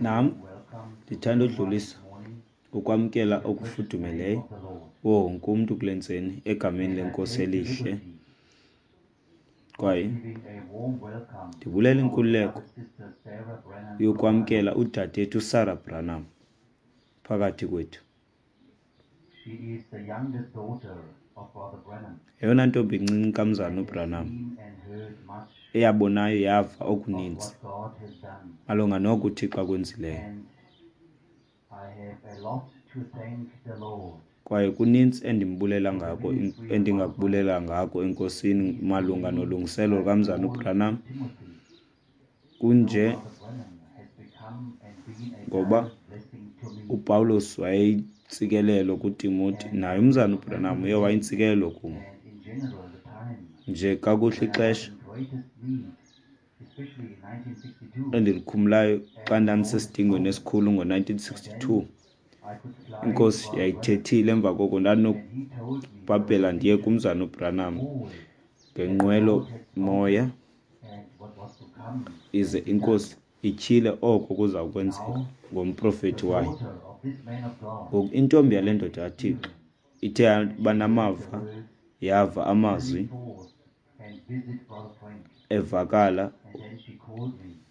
Nam ndithanda udlulisa ukwamkela okufudumeleyo kuwo wonke umntu kule ntseni egameni leNkosi elihle. Kwaye ndibulela inkululeko yokwamkela udadethu uSarah Branham phakathi kwethu. Yeyona ntombi incinci kaMzalwana uBranham eyabonayo yava okuninzi malunga noko uThixo akwenzileyo. Kwaye kuninzi endimbulela ngako endingakubulela ngako eNkosini malunga nolungiselelo lukaMzalwana uBranham kunje ngoba uPawulos wayeyintsikelelo kuTimoti naye umzana uBranham uye wayintsikelelo kum nje kakuhle ixesha endilikhumlayo xa ndandisesidingweni esikhulu ngo-1962 inkosi yayithethile emva koko ndandinokubhabhela ndiye kumzana uBranham ngenqwelo moya ize inkosi ityhile oko kuza kwenzeka ngomprofethi wayo. Ngoku intombi yale ndoda kaThixo ithe yaba namava yava amazwi evakala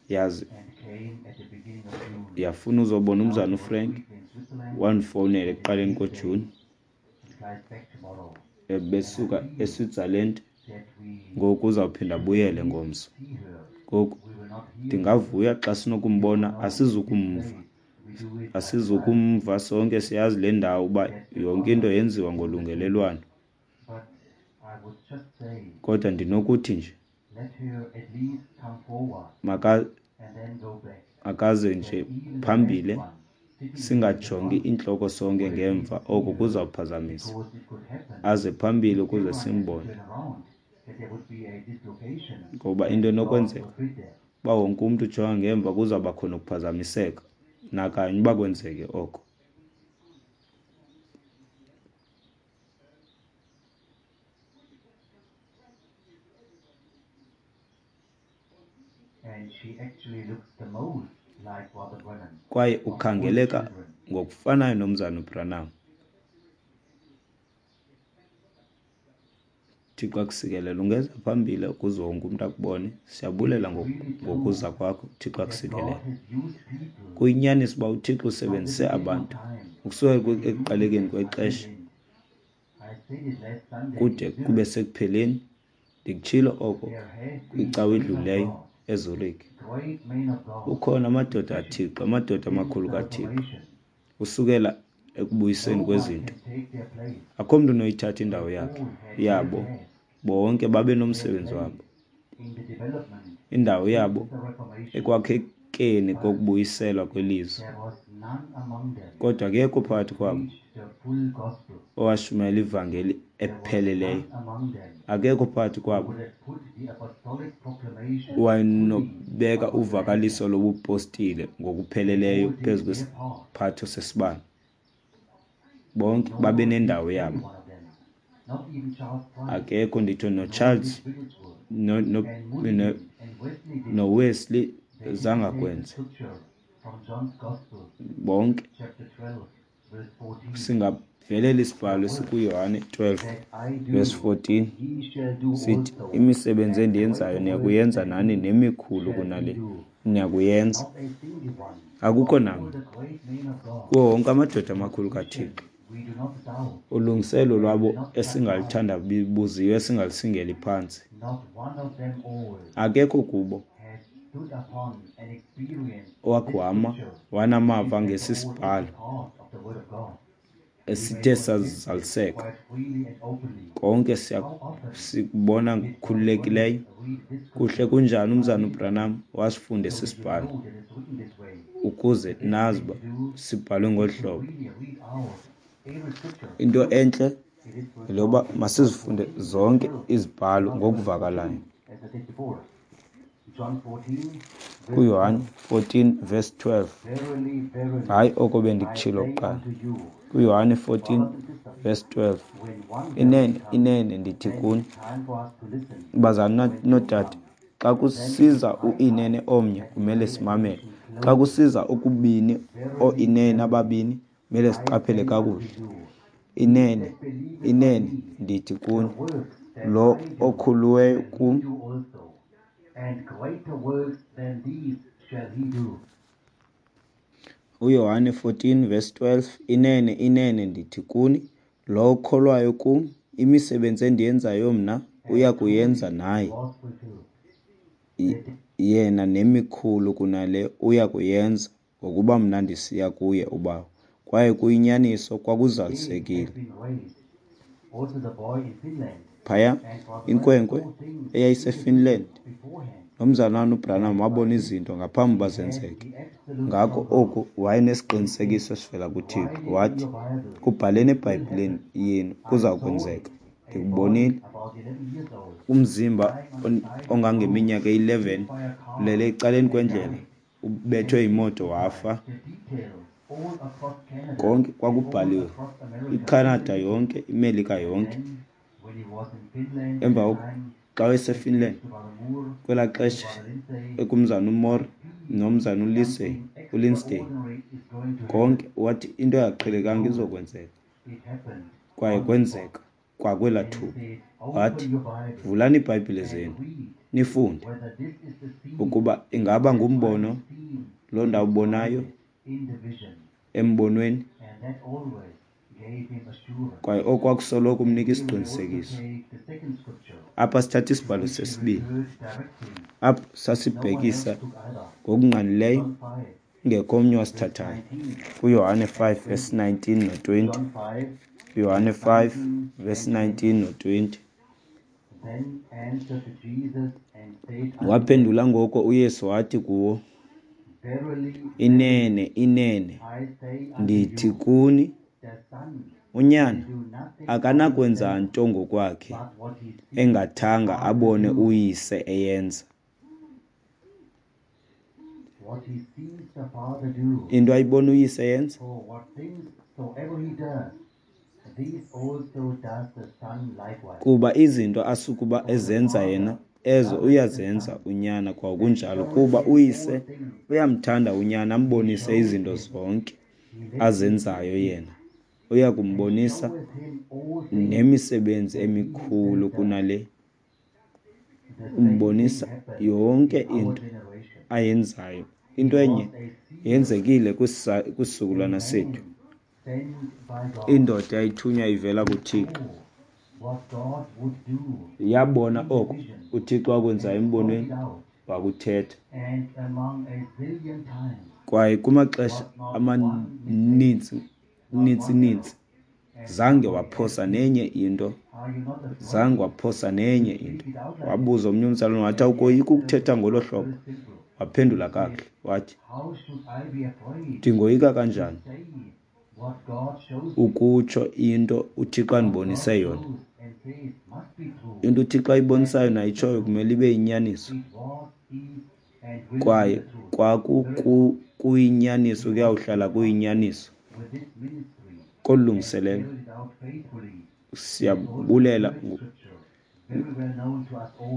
yaze yafuna uzobona umzana uFrank wandifowunela ekuqaleni koJuni besuka eSwitzerland ngoku uzawuphinda abuyele ngomso. Ngoku ndingavuya xa sinokumbona asizukumva asizukumva sonke siyazi le ndawo uba yonke into yenziwa ngolungelelwano kodwa ndinokuthi nje makaze nje phambile singajongi iintloko sonke ngemva oko kuzawuphazamisa aze phambili ukuze simbone ngoba into enokwenzeka uba wonke umntu ujonga ngemva kuzawuba khona ukuphazamiseka nakanye uba kwenzeke oko. Kwaye ukhangeleka ngokufanayo nomzana uBranham. Thixo akusikelele. Ungeza phambili ukuze wonke umntu akubone. Siyabulela ngokuza kwakho. Thixo akusikelele. Kuyinyaniso uba uThixo usebenzise abantu ukusuka ekuqalekeni kwexesha kude kube sekupheleni. Ndikutshilo oko kwicawa edlulileyo eZurich. Kukhona amadoda kaThixo, amadoda amakhulu kaThixo, usukela ekubuyiseni kwezinto. Akho mntu unoyithatha indawo yakhe yabo. Bonke babe nomsebenzi wabo, indawo yabo ekwakhekeni kokubuyiselwa kwelizwi. Kodwa akekho phakathi kwabo owashumayela ivangeli epheleleyo. Akekho phakathi kwabo owayenobeka uvakaliso lobupostile ngokupheleleyo phezu kwesiphatho sesibane. Bonke babe nendawo yabo. Akekho nditsho noCharles noWesley zange akwenze. Bonke singavelela isibhalo esikuYohane 12 verse 14 sithi imisebenzi endiyenzayo niyakuyenza nani nemikhulu kunale niyakuyenza. Akukho namnye kuwo wonke amadoda amakhulu kaThixo ulungiselo lwabo esingalithandabuziyo esingalisingeli phantsi. Akekho kubo owakhe wama wanamava ngesi sibhalo esithe sazaliseka. Konke sikubona ngokukhululekileyo. Kuhle kunjani umzana uBranham wasifunda esi sibhalo ukuze nazi uba sibhalwe ngolu hlobo. Into entle yeloba masizifunde zonke izibhalo ngokuvakalayo. KuYohane 14 verse 12. Hayi oko bendikutshilo kuqala. KuYohane 14 verse 12. Inene, inene ndithi kuni, bazalwana noodade, Xa kusiza u-inene omnye, kumele simamele. Xa kusiza okubini, oo-inene ababini, kumele siqaphele kakuhle. Inene, inene, ndithi kuni, lo okhuluweyo kum. UYohane 14 verse 12, Inene, inene, ndithi kuni, lowo ukholwayo kum, imisebenzi endiyenzayo mna uya kuyenza naye, yena nemikhulu kunale uya kuyenza, ngokuba mna ndisiya kuye uBawo. Kwaye kuyinyaniso, kwakuzalisekile. Phaya, inkwenkwe eyayiseFinland, nomzalwana uBranham wabona izinto ngaphambi uba zenzeke. Ngako oku wayenesiqinisekiso esivela kuThixo. Wathi, Kubhaleni eBhayibhileni yenu, kuza kwenzeka. Ndikubonile. Umzimba ongangeminyaka eyi-11 ulele ecaleni kwendlela, ubethwe yimoto wafa. Konke kwakubhaliwe, iCanada yonke, iMelika yonke. Emva xa wayeseFinland kwelaa xesha ekumzana uMoore nomzana uLisey, uLindsay, konke wathi into engaqhelekanga izokwenzeka. Kwaye kwenzeka kwakwelaa thuba. Wathi, Vulani iiBhayibhile zenu nifunde ukuba ingaba ngumbono lo ndawubonayo embonweni. Kwaye oku kwakusoloko kumnika isiqinisekiso. Apha sithatha isibhalo sesibini, apho sasibhekisa ngokungqalileyo kungekho omnye owasithathayo, kuYohane 5 verse 19 no-20. UYohane 5 verse 19 no-20. Waphendula ngoko uYesu wathi kuwo, Inene, inene, ndithi kuni, uNyana akanakwenza nto ngokwakhe, engathanga abone uYise eyenza. Into ayibona uYise eyenza. Kuba izinto asukuba ezenza yena, ezo uyazenza uNyana kwakunjalo, kuba uYise uyamthanda uNyana, ambonise izinto zonke azenzayo yena. Uya kumbonisa nemisebenzi emikhulu kunale. Umbonisa yonke into ayenzayo. Into enye yenzekile kwisizukulwana sethu. Indoda eyayithunywa ivela kuThixo yabona oko uThixo akwenzayo embonweni, wakuthetha. Kwaye kumaxesha amaninzi ninzi ninzi zange waphosa nenye into, zange waphosa nenye into. Wabuza omnye umzalwane wathi, awukoyiki ukuthetha ngolo hlobo? Waphendula kakuhle wathi, ndingoyika kanjani ukutsho into uThixo andibonise yona? Into uThixo ayibonisayo nayitshoyo kumele ibe yinyaniso. Kwaye kwakukuyinyaniso, kuyawuhlala kuyinyaniso. Kolu lungiselelo siyabulela,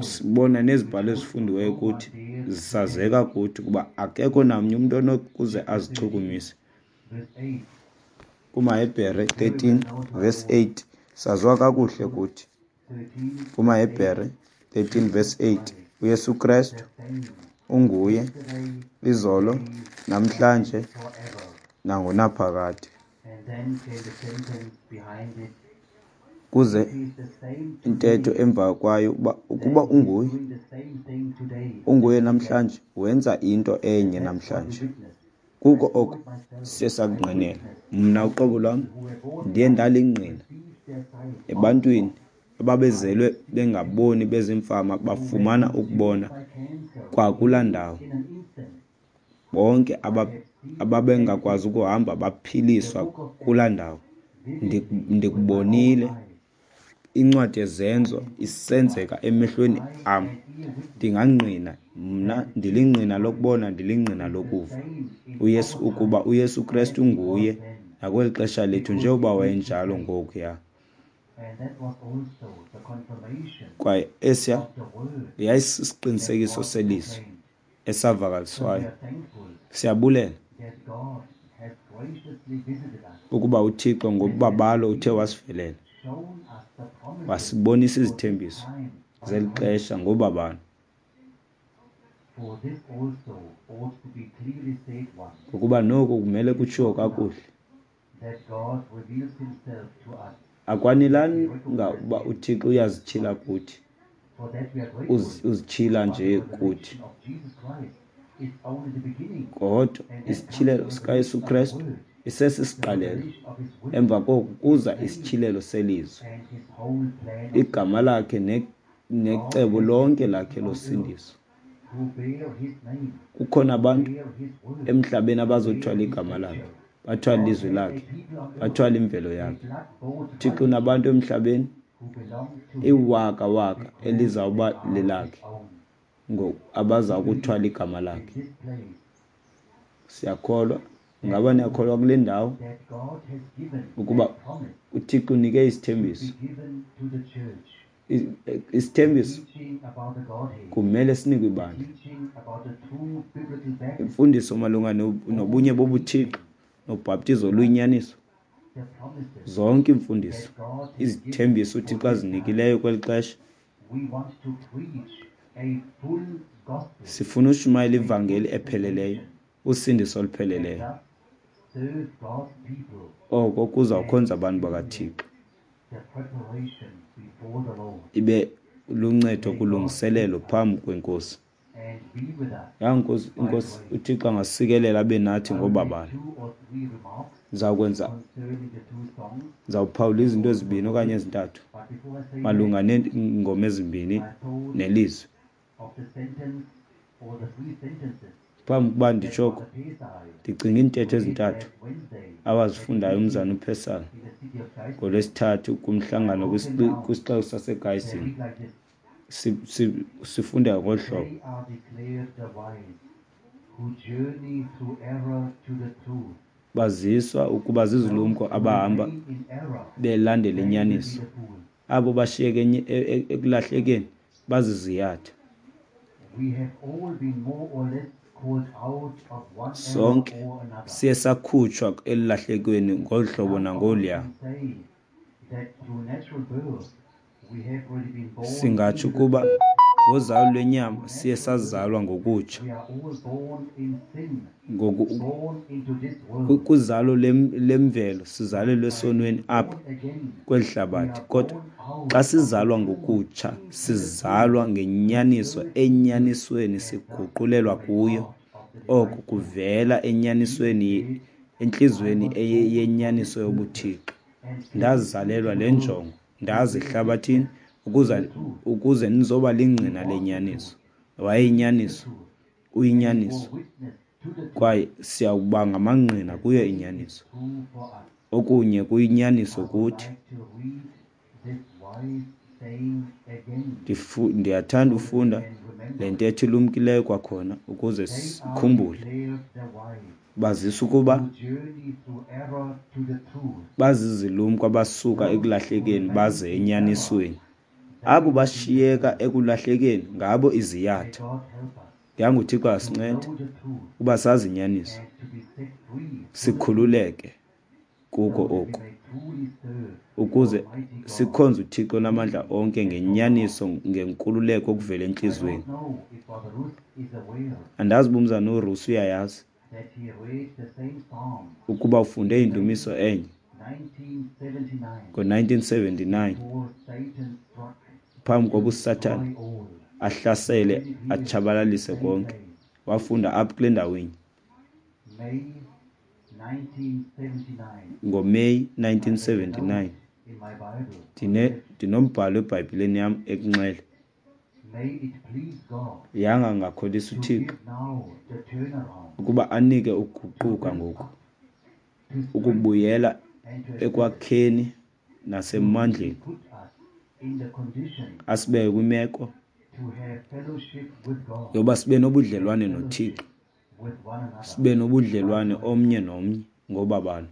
sibona nezibhalo ezifundiweyo kuthi zisazeka kuthi ukuba akekho namnye umntu onokuze azichukumise. KumaHebhere 13 verse 8 saziwa kakuhle kuthi. KumaHebhere 13 verse 8 uYesu Kristu unguye izolo, namhlanje nangonaphakade. Kuze intetho emva kwayo uba ukuba unguye, unguye namhlanje, wenza into enye namhlanje. Kuko oko siye sakungqinela. Mna uqobo lwam ndiye ndalingqina ebantwini ababezelwe bengaboni bezimfama bafumana ukubona kwakulaa ndawo. Bonke ababengakwazi ukuhamba baphiliswa kulaa ndawo. Ndikubonile incwadi yeZenzo isenzeka emehlweni am. Ndingangqina mna, ndilingqina lokubona, ndilingqina lokuva uYesu, ukuba uYesu Kristu nguye nakweli xesha lethu njengoba wayenjalo ngokuya. Kwaye esiya yayisisiqinisekiso selizwi esavakaliswayo. Siyabulela ukuba uThixo ngobabalo uthe wasivelela, wasibonisa izithembiso zeli xesha ngobabalo. Ngokuba noku kumele kutshiwo kakuhle. Akwanelanga uba uThixo uyazityhila kuthi, uzityhila nje kuthi, kodwa isityhilelo sikaYesu Krestu isesisiqalelo. Emva koko kuza isityhilelo selizwi, igama lakhe necebo lonke lakhe losindiso. Kukhona abantu emhlabeni abazothwala igama lakhe, bathwale ilizwi lakhe, bathwale imvelo yakhe. UThixo unabantu emhlabeni iwaka-waka elizawuba lelakhe, abaza kuthwala igama lakhe. Siyakholwa, ngaba niyakholwa kule ndawo ukuba uThixo unike isithembiso? Isithembiso kumele sinikwe ibandla. Imfundiso malunga nobunye bobuThixo nobhaptizo oluyinyaniso, zonke iimfundiso, izithembiso uThixo azinikileyo kweli xesha. Sifuna ushumayela ivangeli epheleleyo, usindiso olupheleleyo. Oko kuzawukhonza abantu bakaThixo, ibe luncedo kulungiselelo phambi kweNkosi. Yanga Inkosi uThixo angasikelela abe nathi ngobabalo. Ndizawuphawula izinto ezibini okanye ezintathu malunga neengoma ezimbini nelizwi. Phambi kokuba nditsho oko, ndicinga iintetho ezintathu awazifundayo umzana uPesal ngoLwesithathu kumhlangano kwisixeko saseGaysini. Sifunda ngolu hlobo. Baziswa ukuba zizilumko abahamba belandela inyaniso. Abo bashiyeke ekulahlekeni baziziyatha. Sonke siye sakhutshwa elulahlekweni ngolu hlobo nangoluya. Singatsho ukuba ngozalo lwenyama siye sazalwa ngokutsha. Kwizalo lemvelo sizalelwe esonweni apha kweli hlabathi, kodwa xa sizalwa ngokutsha sizalwa ngenyaniso, enyanisweni siguqulelwa kuyo. Oko kuvela enyanisweni, entliziyweni yenyaniso yobuThixo. Ndazalelwa le njongo, ndaza ehlabathini ukuze nizoba lingqina lenyaniso. Wayeyinyaniso, uyinyaniso, kwaye siyawuba ngamangqina kuyo inyaniso. Okunye kuyinyaniso kuthi. Ndiyathanda ufunda le ntetho ilumkileyo kwakhona ukuze sikhumbule. Bazisa ukuba bazizilumko abasuka ekulahlekeni baze enyanisweni. Abo bashiyeka ekulahlekeni ngabo iziyatha. Yanga uThixo asincede uba sazi inyaniso, sikhululeke kuko oku, ukuze sikhonze uThixo namandla onke ngenyaniso, ngenkululeko okuvela entliziyweni. Andazi uba umzana uRusi uyayazi ukuba ufunde indumiso enye ngo-1979 phambi koba uSathane ahlasele atshabalalise konke. Wafunda apha kule ndawo inye ngoMeyi 1979. Ndinombhalo eBhayibhileni yam ekunxele. Yanga angakholisa uThixo ukuba anike ukuguquka ngoku, ukubuyela ekwakheni nasemandleni, asibeke kwimeko yoba sibe nobudlelwane noThixo, sibe nobudlelwane omnye nomnye ngobabalo.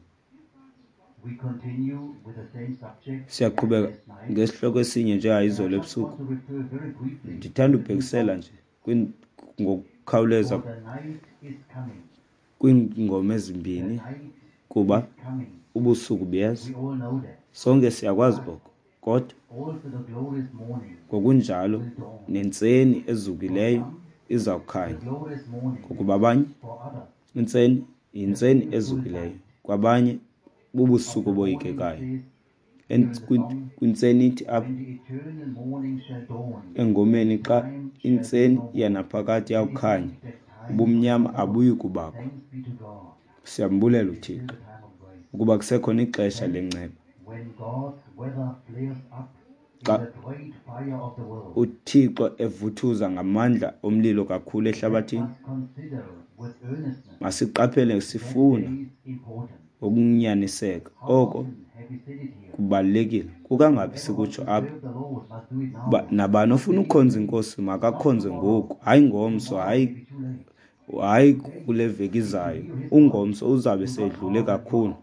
Siyaqhubeka ngesihloko esinye njengayizolo ebusuku. Ndithanda ubhekisela nje ngokukhawuleza kwiingoma ezimbini, kuba ubusuku buyeza. Sonke siyakwazi oko, kodwa ngokunjalo nentseni ezukileyo izawukhanya, ngokuba abanye intseni yintseni ezukileyo, kwabanye bubusuku oboyikekayo. Kwintseni ithi apha engomeni, xa intseni yanaphakade iyawukhanya, ubumnyama abuyi kubakho. Siyambulela uThixo ukuba kusekhona ixesha lenceba. Xa uThixo evuthuza ngamandla omlilo kakhulu ehlabathini, masiqaphele sifuna ngokunyaniseka oko kubalulekile. Kukangaphi sikutsho apha uba nabani ofuna ukhonza iNkosi makakhonze ngoku, hayi ngomso, hayi kule veki izayo. Ungomso uzawube sedlule kakhulu,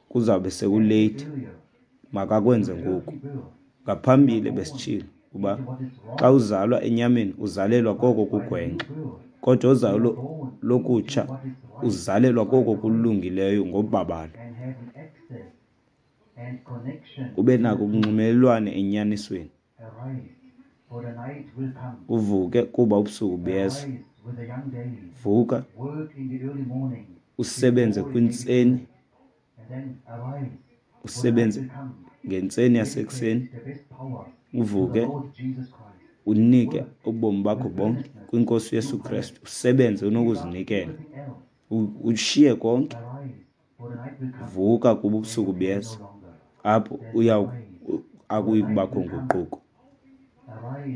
kuzawube sekuleythi. Makakwenze ngoku. Ngaphambili besitshilo uba xa uzalwa enyameni uzalelwa koko kugwenxa, kodwa ozalwa lokutsha uzalelwa koko kulungileyo ngobabalo, ube nako ukunxumelelwane enyanisweni. Uvuke kuba ubusuku buyeza. Vuka usebenze kwintseni, usebenze ngentseni yasekuseni, uvuke unike ubomi bakho bonke kwiNkosi uYesu Kristu, usebenze unokuzinikela, ushiye konke. Vuka kuba ubusuku buyeza, apho uya akuyi kubakho nguquko.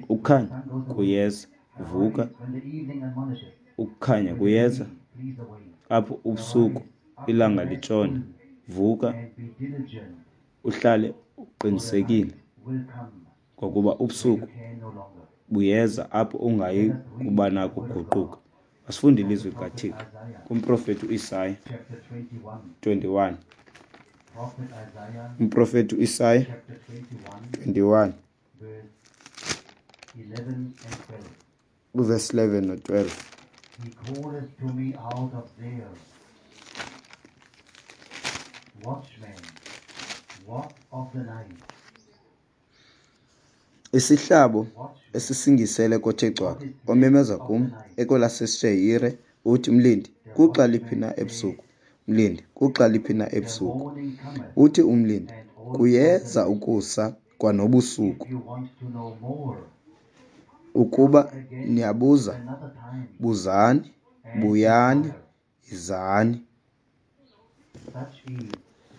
Ukukhanya kuyeza, vuka, ukukhanya kuyeza, apho ubusuku ilanga litshona. Vuka uhlale uqinisekile, ngokuba ubusuku buyeza apho ungayi kuba nako ukuguquka. Masifunde ilizwi likaThixo kumprofeti uIsaya 21. Umprofeti uIsaya 21 uvesi 11 no-12. He calleth to me out of Seir, Watchman, what of the night? Isihlabo esisingisele kothe cwaka, omemeza kum ekwelaseshehire, uthi, Mlindi, kuxa liphi na ebusuku? Mlindi, kuxa liphi na ebusuku? Morning cometh, Uthi umlindi, kuyeza ukusa kwanobusuku. If you want to know more, Ukuba niyabuza, another time, buzani, buyani, yizani. Such is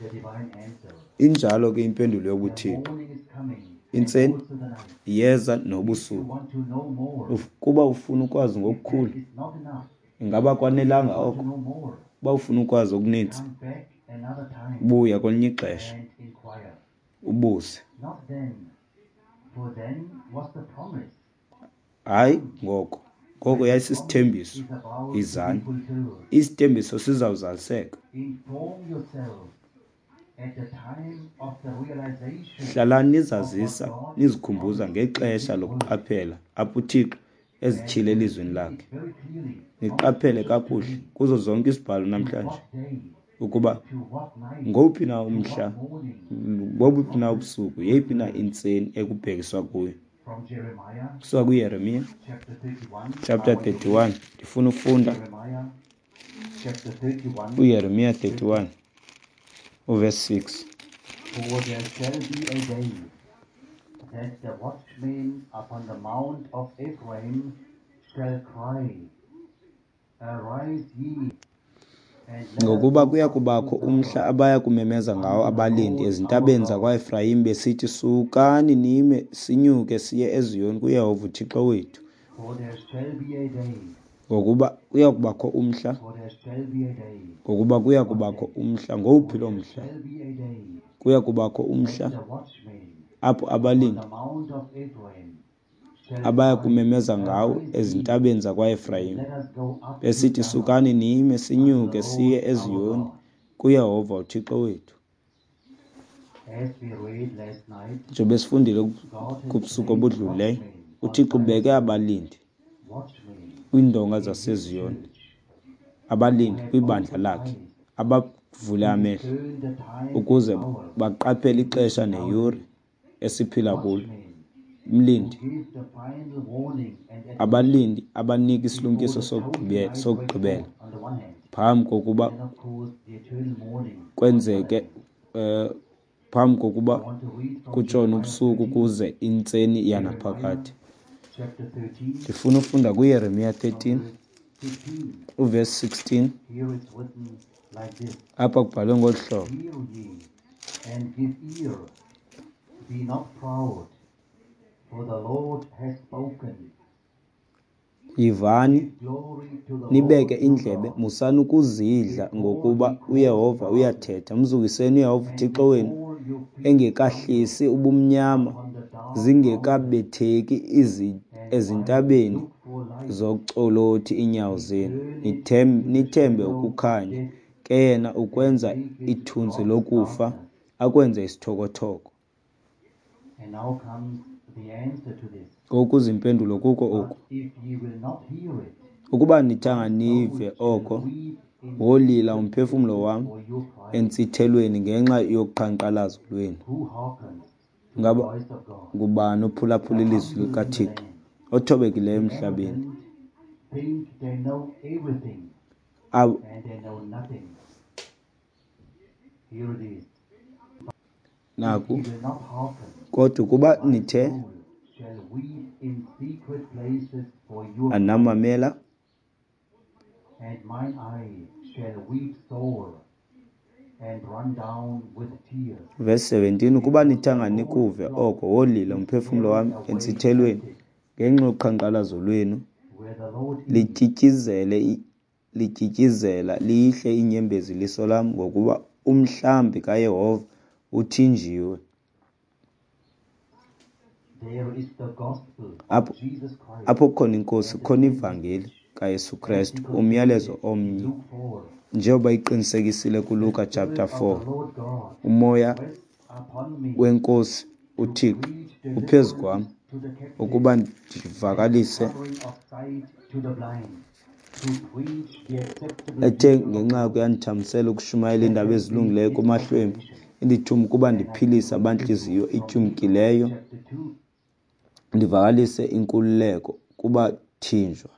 the divine answer. Injalo ke impendulo The yobuThixo. morning is coming, and Intseni also the night. iyeza If you nobusuku. want to know more, Kuba ufuna ukwazi ngokukhulu, that is not enough. ingaba kwanelanga Want to oko? know more, Uba ufuna ukwazi okuninzi, come back another time buya kwelinye ixesha and inquire. ubuze. Not then, for then was the promise. Hayi ngoko, ngoko yayisisithembiso. Is about to be Izani. fulfilled. Isithembiso sizawuzaliseka. Inform yourself at the time of the realization Hlalani nizazisa nizikhumbuza ngexesha lokuqaphela apho uThixo ezityhile elizwini lakhe. very clearly Niqaphele kakuhle kuzo zonke izibhalo namhlanje what day, ukuba to what night, ngowuphi na umhla, morning, ngobuphi na ubusuku, yeyiphi na intseni ekubhekiswa kuyo. from Jeremiah Kusuka kuYeremiya chapter 31. chapter 31, ndifuna ufunda Jeremiah chapter 31. uYeremiya 31 uverse 6. For there shall be a day that the watchmen upon the mount of Ephraim shall cry, Arise ye, and let us Ngokuba go kuya up kubakho to umhla Zion, abaya kumemeza ngawo abalindi ezintabeni zakwaEfrayim besithi, Sukani nime, sinyuke siye eZiyoni kuYehova uThixo wethu. For there shall be a day, Ngokuba kuya kubakho umhla, for there shall be a day, ngokuba kuya kubakho umhla. Ngowuphi loo mhla? shall be a day Kuya kubakho umhla that the watchmen apho on abalindi the mount of Ephraim shall abaya cry, kumemeza ngawo Arise ye, ezintabeni zakwaEfrayim let us go up to besithi, Zion Sukani nime, unto sinyuke the siye Lord our eZiyoni God. kuYehova uThixo wethu. Njengoba sifundile kubusuku obudlulileyo, uThixo ubeke abalindi kwiindonga zaseZiyon, abalindi kwibandla lakhe, abavule amehlo ukuze baqaphele ixesha neyure esiphila kulo. Umlindi, abalindi abanika isilumkiso sokugqibela phambi kokuba kwenzeke phambi kokuba kutshone ubusuku kuze intseni yanaphakade. Ndifuna ufunda kuYeremiya 13 uvesi 16. Apha kubhalwe ngolu hlobo. Yivani, nibeke indlebe, musani ukuzidla, ngokuba uYehova uyathetha. Mzukiseni uYehova uThixo wenu, engekahlisi ubumnyama, zingekabetheki ezintabeni zocolothi iinyawo zenu. Nithembe ukukhanya, ke yena ukwenza ithunzi lokufa, akwenze isithokothoko. Ngoku zimpendulo kuko oku. Ukuba nithanga nive oko, wolila umphefumlo wam entsithelweni ngenxa yoqhankqalazo lwenu. Ngaba ngubani ophulaphula ilizwi likaThixo, othobekileyo emhlabeni? Naku, kodwa ukuba nithe anamamela, verse 17, ukuba nithanga nikuve oko, wolila umphefumlo wam entsithelweni ngenxa yoqhankqalazo lwenu, lityityizela lihle iinyembezi iliso lam, ngokuba umhlambi kaYehova uthinjiwe. Apho kukhona iNkosi kukhona ivangeli kaYesu Krestu, umyalezo omnye, njengoba iqinisekisile kuLuka chapter 4. Umoya weNkosi uThixo uphezu kwam ukuba ndivakalise ethe ngenxa yako yandithambisela ukushumayela iindaba ezilungileyo kumahlwempu, indithuma ukuba ndiphilise abantliziyo ityumkileyo, ndivakalise inkululeko kubathinjwa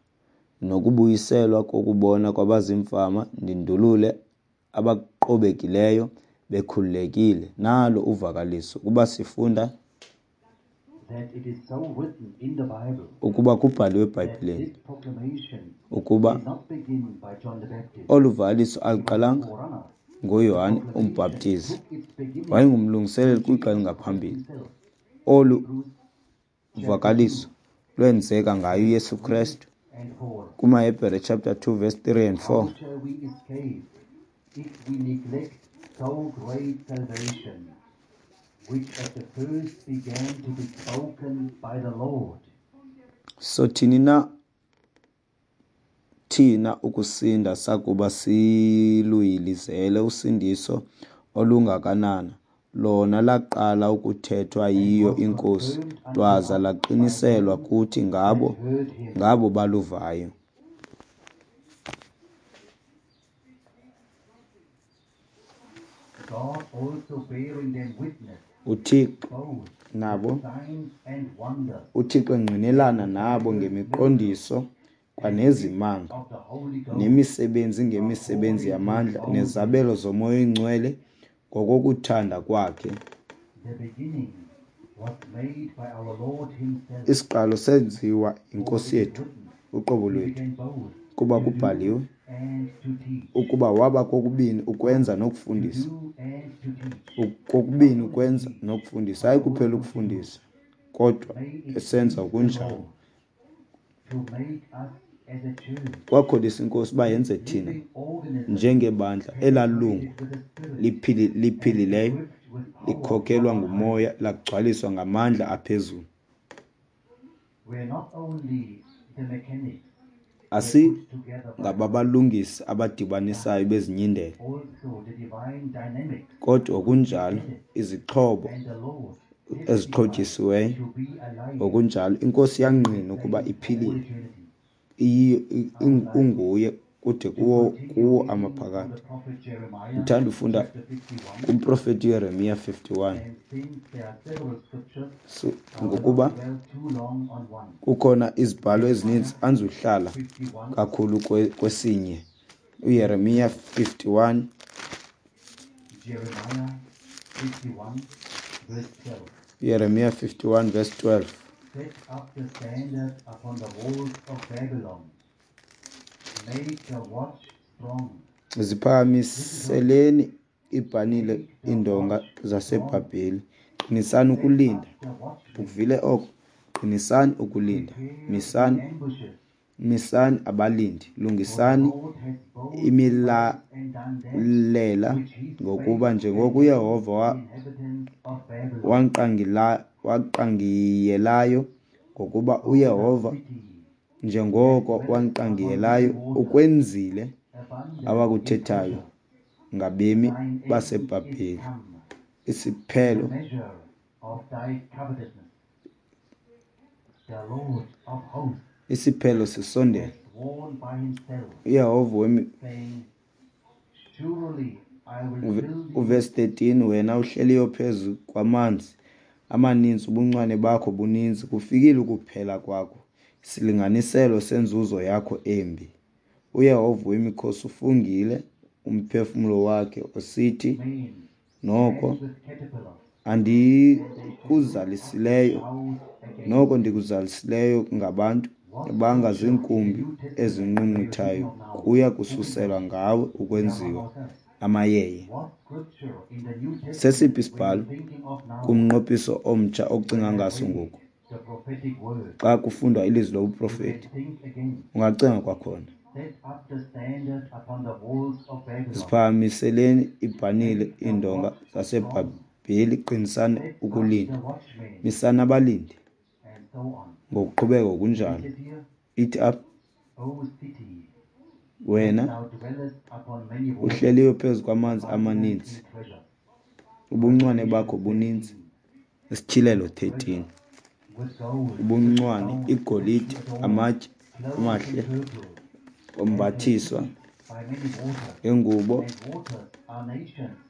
nokubuyiselwa kokubona kwabazimfama, ndindulule abaqobekileyo bekhululekile. Nalo uvakaliso ukuba sifunda ukuba kubhaliwe eBhayibhileni ukuba olu vakaliso aluqalanga ngoYohane uMbhaptizi, wayengumlungiseleli kwixa elingaphambili. Olu vakaliso lwenzeka ngayo uYesu Krestu kumaHebhere chapter 2 verse 3 and 4. If we neglect so great salvation, which at the first began to be spoken by the Lord. Sothini na thina ukusinda sakuba siluyilizele usindiso olungakanana, lona laqala ukuthethwa yiyo iNkosi, lwaza laqiniselwa kuthi ngabo baluvayo. UThixo nabo, uThixo engqinelana nabo ngemiqondiso kwanezimanga, nemisebenzi ngemisebenzi yamandla, nezabelo zoMoya oyiNgcwele ngokokuthanda kwakhe. Isiqalo senziwa yiNkosi yethu uqobo lwethu, kuba kubhaliwe ukuba waba kokubini ukwenza nokufundisa, kokubini ukwenza nokufundisa, hayi kuphela ukufundisa kodwa esenza okunjalo. Kwakholisa iNkosi uba yenze thina njengebandla elalungu liphilileyo, likhokelwa nguMoya, lagcwaliswa ngamandla aphezulu. Asingababalungisi abadibanisayo bezinyindela, kodwa ngokunjalo izixhobo ezixhotyisiweyo, ngokunjalo iNkosi yangqina ukuba iphilile, unguye kude kuwo amaphakade. Ndithanda ufunda kumprofeti uYeremiya 51, so ngokuba kukhona izibhalo ezininzi andizuhlala kakhulu kwesinye. UYeremiya 51, Yeremiya 51 verse 12. Set up the standard upon the walls of Babylon. Make the watch strong. Ziphakamiseleni ibhanile iindonga zaseBhabheli. Qinisani ukulinda. Ukuvile oko? Qinisani ukulinda. Misani, misani abalindi. Lungisani imilalela, ngokuba njengoko uYehova waqangiyelayo, ngokuba uYehova njengoko waqangiyelayo ukwenzile awakuthethayo ngabemi baseBhabheli. Isiphelo sisondele. UYehova uvesi 13, wena uhleliyo phezu kwamanzi amaninzi, ubuncwane bakho buninzi, kufikile ukuphela kwakho, isilinganiselo senzuzo yakho embi. UYehova wemikhosi ufungile umphefumlo wakhe usithi, noko andikuzalisileyo, noko ndikuzalisileyo ngabantu bangaziinkumbi ezinqunquthayo, kuya kususelwa ngawe ukwenziwa amayeye. Sesiphi isibhalo kumnqophiso omtsha ocinga ngaso ngoku? Xa kufundwa ilizwi lobuprofeti, ungacinga kwakhona. Ziphakamiseleni ibhanile iindonga zaseBhabheli, qinisani ukulinda, misani abalindi, ngokuqhubeka ngokunjalo. Ithi apha, wena uhleliyo phezu kwamanzi amaninzi, ubuncwane bakho buninzi. Isityhilelo 13, ubuncwane, igolide, amatye amahle, ombathiswa ngengubo,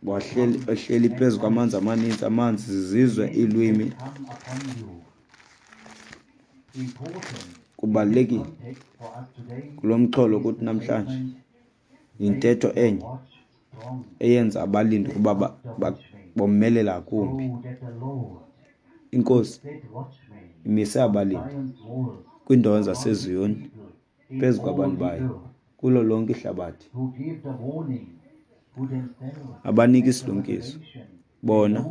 wahleli phezu kwamanzi amaninzi, amanzi zizizwe, iilwimi. Kubalulekile kulo mxholo ukuthi namhlanje yintetho enye eyenza abalindi ukuba bomelele ngakumbi. INkosi imise abalindi kwiindawo zaseZiyoni phezu kwabantu bayo kulo lonke ihlabathi, abanika isilumkiso. Bona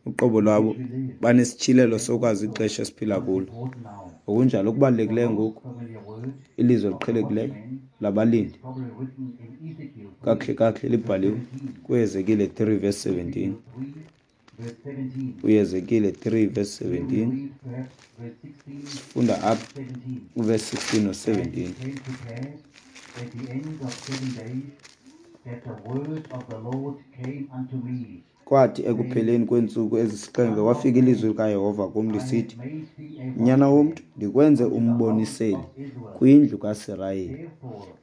uqobo lwabo banesityhilelo sokwazi ixesha esiphila kulo. Ngokunjalo okubalulekileyo ngoku, ilizwi eliqhelekileyo labalindi kakuhle kakuhle libhaliwe kuHezekile 3 verse 17. UHezekile 3 verse 17, sifunda apha uverse 16 no-17. Kwathi ekupheleni kweentsuku ezisixhenxe kwafika ilizwi likaYehova kum lisithi, Nyana womntu, ndikwenze umboniseli kwindlu kaSirayeli.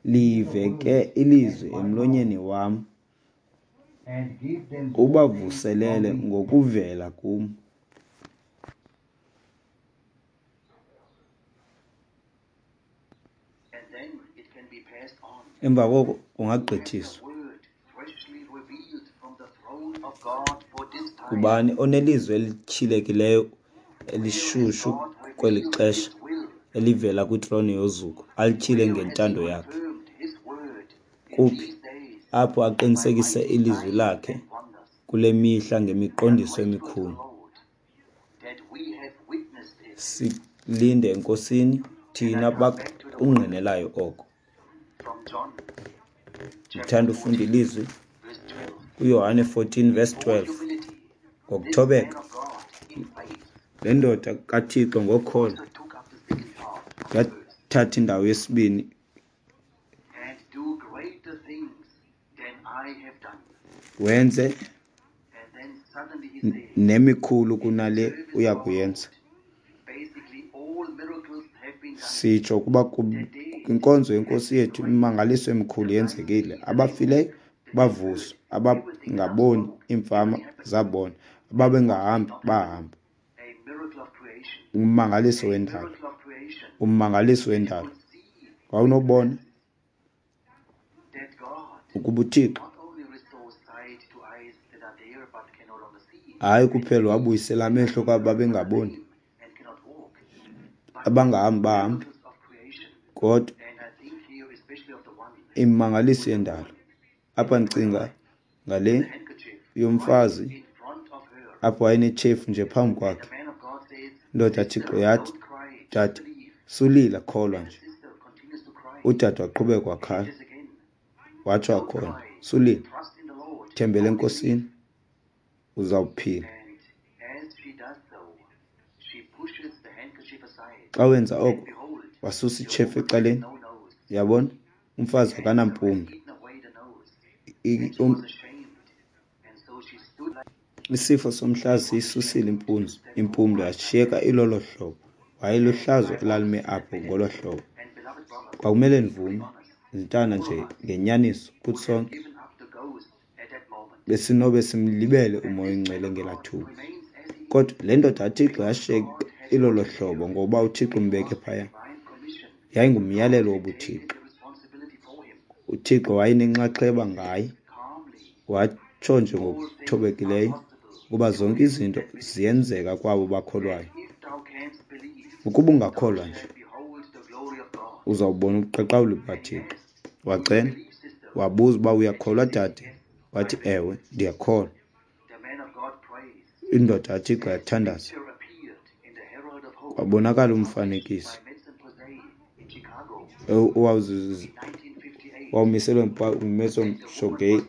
Live ke ilizwi emlonyeni wam, ubavuselele ngokuvela kum. Emva koko kungagqithiswa. Ngubani onelizwi elityhilekileyo elishushu kweli xesha elivela kwitrone yozuko, alityhile ngentando yakhe? Kuphi apho aqinisekise ilizwi lakhe kule mihla ngemiqondiso emikhulu? Silinde eNkosini thina bakungqinelayo oko. Ndithanda ufunda ilizwi kuYohane 14 verse 12. Ngokuthobeka le ndoda kaThixo ngokholo yathatha indawo yesibini Wenze nemikhulu kunale uyakuyenza. Sitsho ukuba kwinkonzo yeNkosi yethu imimangaliso emikhulu yenzekile. Abafileyo bavuswa, abangaboni iimfama zabona, ababengahambi bahamba. Ummangaliso wendalo, ummangaliso wendalo. Wawunobona ukuba uThixo hayi kuphela wabuyisela amehlo kwabo babengaboni, abangahambi bahamba, kodwa imimangaliso yendalo. Apha ndicinga ngale yomfazi apho wayenetshefu nje phambi kwakhe. Indoda Thixo yathi, dade, sulila, kholwa nje. Udade waqhubeka wakhala, watsho wakhona, sulila, thembele eNkosini, uzawuphila. Xa wenza oko, wasusa itshefu ecaleni. Uyabona, umfazi akanampumlo. Isifo somhlaza siyisusile impumlo yashiyeka ilolo hlobo. Wayeluhlazo elalime apho ngolo hlobo. Kwakumele ndivume, ndintana nje ngenyaniso kuthi sonke besinobe simlibele uMoya oyiNgcwele ngelaa thuba. Kodwa le ndoda kaThixo yashiyeka ilolo hlobo ngoba uThixo umbeke phaya. Yayingumyalelo wobuThixo. UThixo wayenenxaxheba ngaye. Watsho nje ngokuthobekileyo ukuba zonke izinto ziyenzeka kwabo bakholwayo. Ukuba ungakholwa nje, uzawubona ubuqaqawuli bukaThixo. Wacela, wabuza uba uyakholwa dade. Wathi, ewe, ndiyakholwa. Indoda kaThixo yathandaza, kwabonakala umfanekiso owawumiselwe nguMason Shogay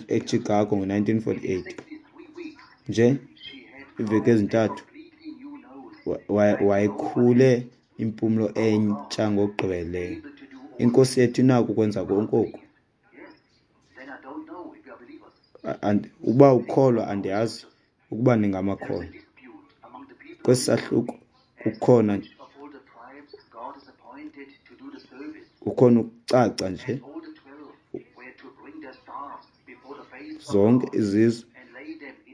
eChicago ngo-1948. Nje iiveki ezintathu wayekhule impumlo entsha ngokugqibeleleyo. INkosi yethu inako ukwenza konke oku. Uba ukholwa, andiyazi ukuba ningamakholwa. Kwesi sahluko kukhona ukucaca nje zonke izizwe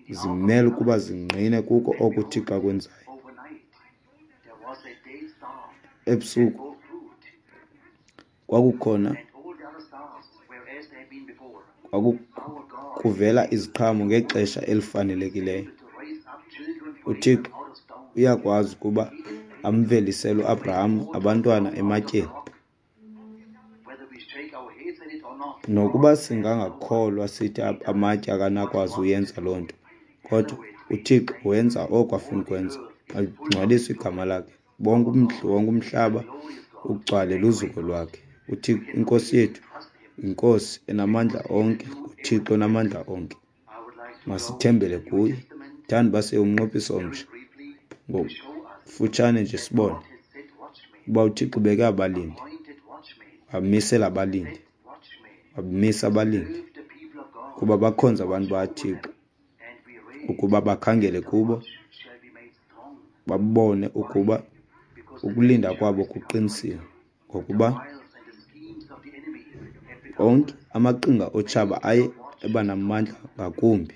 zimele ukuba zingqine kuko oko uThixo akwenzayo. Ebusuku kwakukhona kuvela iziqhamo ngexesha elifanelekileyo. UThixo uyakwazi ukuba amvelisele uAbraham abantwana ematyeni. Nokuba singangakholwa sithi amatye akanakwazi uyenza loo nto, kodwa uThixo wenza oko afuna ukwenza. Alingcwaliswe igama lakhe. Bonke wonke umhlaba ugcwale luzuko lwakhe. UThixo, iNkosi yethu, yiNkosi enamandla onke, nguThixo onamandla onke. Masithembele kuye. Thanda uba siye umnqophiso omtsha ngokufutshane nje sibone uba uThixo ubeke abalindi, wamisela abalindi, wamisa abalindi kuba bakhonze abantu bakaThixo, ukuba bakhangele kubo, babone ukuba ukulinda kwabo kuqinisiwe, ngokuba onke amaqhinga otshaba aye eba namandla ngakumbi,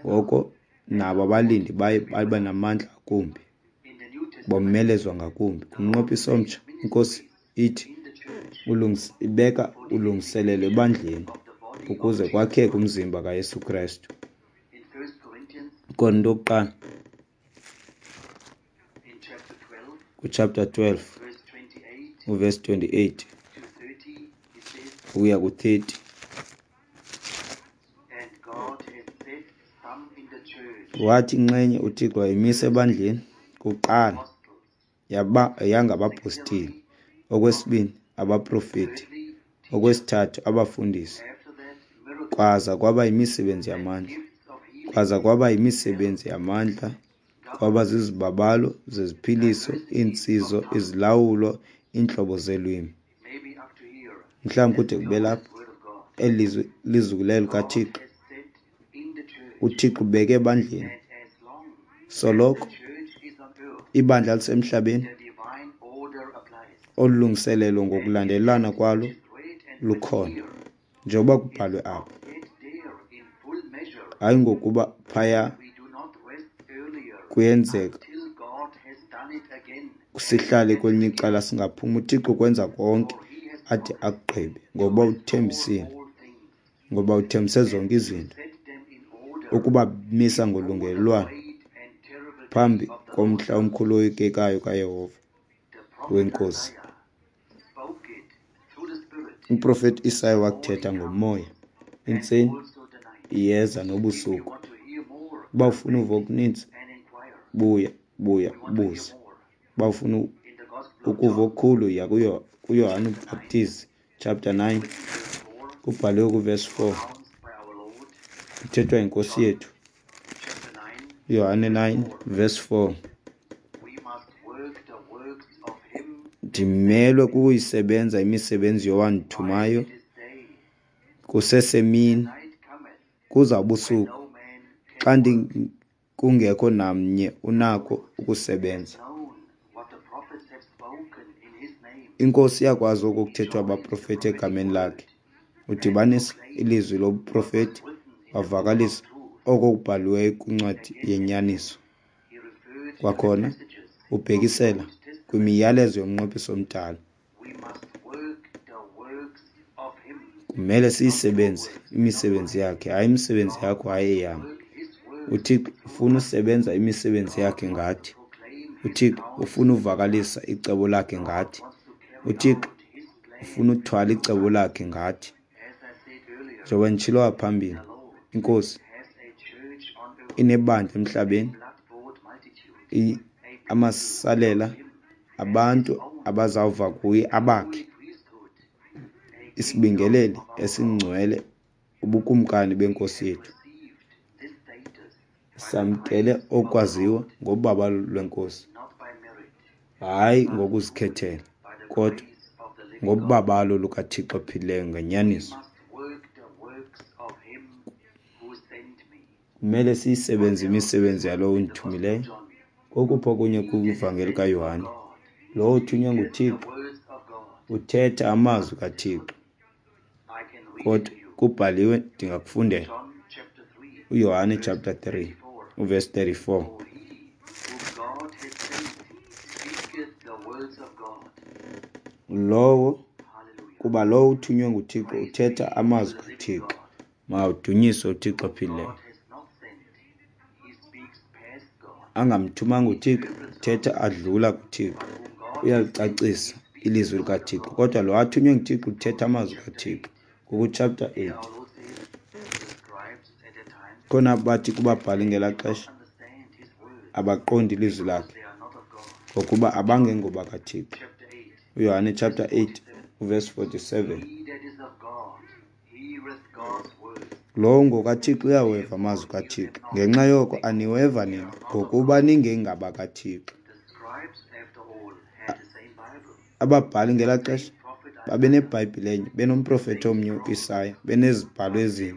ngoko nabo abalindi baye baba namandla ngakumbi, bomelezwa ngakumbi. Kumnqophiso omtsha, iNkosi ithi ibeka ulungiselelo ebandleni ukuze kwakheke umzimba kaYesu Kristu. Korinto yokuqala kuchapter 12 uverse 28 ukuya ku-30. Wathi inxenye uThixo wayimisa ebandleni kuqala yangabapostile, okwesibini abaprofeti, okwesithathu abafundisi, kwaza kwaba yimisebenzi yamandla, kwaza kwaba yimisebenzi yamandla, kwaba zizibabalo zeziphiliso, iintsizo, izilawulo, iintlobo zeelwimi. Mhlawumbi kude kube lapha. Eli lizwi lizukileyo likaThixo uThixo ubeke ebandleni. Soloko ibandla lisemhlabeni, olu lungiselelo ngokulandelelana kwalo lukhona, njengoba kubhalwe apha. Hayi ngokuba phaya kuyenzeka sihlale kwelinye icala singaphumi. UThixo ukwenza konke ade akugqibe, ngoba uthembisile, ngoba uthembise zonke izinto ukuba misa ngolungelelwano phambi komhla omkhulu oyikekayo kaYehova weNkosi. Umprofeti Isaya wakuthetha ngomoya, intseni iyeza nobusuku. Uba ufuna uva okuninzi, buya, buya ubuze. Uba ufuna ukuva okukhulu, yiya kuYohane uMbhaptizi chapter 9, kubhaliwe kuvesi 4, kuthethwa yiNkosi yethu. Yohane 9 verse 4. Ndimelwe kukuyisebenza imisebenzi yowandithumayo kusesemini, kuza ubusuku, xa kungekho namnye unako ukusebenza. INkosi iyakwazi oko kuthethwa abaprofeti egameni lakhe. Udibanisa ilizwi lobuprofeti wavakalisa oko kubhaliweyo kwincwadi yenyaniso. Kwakhona ubhekisela kwimiyalezo yomnqophiso omdala. Kumele siyisebenze imisebenzi yakhe, hayi imisebenzi yakho, hayi eyam. UThixo ufuna usebenza imisebenzi yakhe ngathi. UThixo ufuna uvakalisa icebo lakhe ngathi. UThixo ufuna uthwala icebo lakhe ngathi. Njengoba nditshilo ngaphambili, iNkosi inebandla emhlabeni, amasalela abantu abazawuva kuye abakhe, isibingeleli esingcwele, ubukumkani benkosi yethu. Samkele okwaziwa ngobabalo lweNkosi, hayi ngokuzikhethela, kodwa ngobabalo lukaThixo ophilileyo ngenyaniso. Kumele siyisebenze imisebenzi yalowo undithumileyo. Kokuphi okunye kwivangeli kaYohane? Lowo uthunywe nguThixo uthetha amazwi kaThixo, kodwa kubhaliwe, ndingakufundela uYohane chapter 3 uverse 34. Lowo, kuba lowo uthunywe nguThixo uthetha amazwi kaThixo. Mawudunyiswe uThixo ophilileyo. Angamthumanga uThixo, uthetha adlula kuThixo, uyalicacisa ilizwi likaThixo. Kodwa lo athunywe nguThixo uthetha amazwi kaThixo. Ngoku chapter 8, khona bathi kubabhali ngelaa xesha abaqondi ilizwi lakhe, ngokuba abangengoba kaThixo. UYohane chapter 8 uverse 47. Lowo ngokaThixo uyaweva amazwi kaThixo. Ngenxa yoko aniweva nina, ngokuba ningengabakaThixo. Ababhali ngelaa xesha babeneBhayibhile enye, benomprofeti omnye uIsaya, benezibhalo ezinye,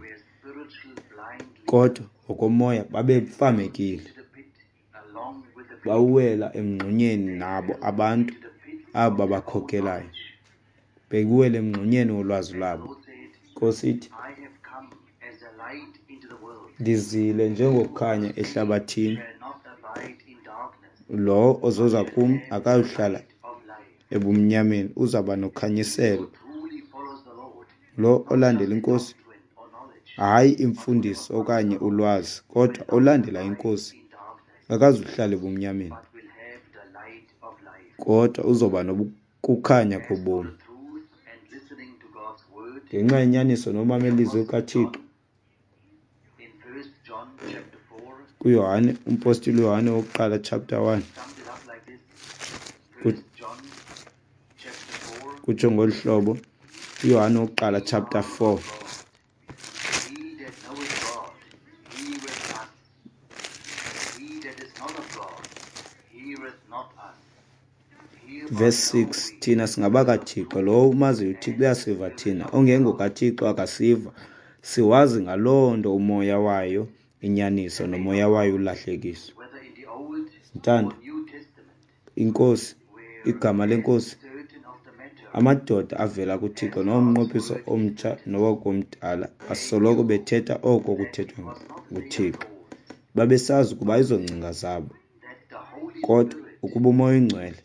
kodwa ngokomoya babefamekile. Bawela emngxunyeni nabo abantu abo babakhokelayo, bekuwela emngxunyeni wolwazi lwabo. Nkosi ithi, ndizile njengokukhanya ehlabathini, lowo ozoza kum akayuhlala ebumnyameni, uzawuba nokhanyiselo. Lo olandela iNkosi, hayi imfundiso okanye ulwazi, kodwa olandela iNkosi akazuhlala ebumnyameni, kodwa uzoba nokukhanya kobomi. Ngenxa yenyaniso nomamela ilizwi likaThixo. KuYohane, umpostile uYohane wokuqala chapter 1, kutsho ngolu hlobo, uYohane wokuqala chapter 4. Verse 6, thina singabakaThixo, lowo umaziyo uThixo uyasiva thina, ongengokaThixo akasiva. Siwazi ngaloo nto umoya wayo inyaniso nomoya wayo ulahlekiso. Ntanda, inkosi, igama lenkosi, amadoda avela kuThixo nomnqophiso omtsha nowakomdala asoloko bethetha oko kuthethwa nguThixo. Babesazi ukuba ayizongcinga zabo, kodwa ukuba uMoya oyiNgcwele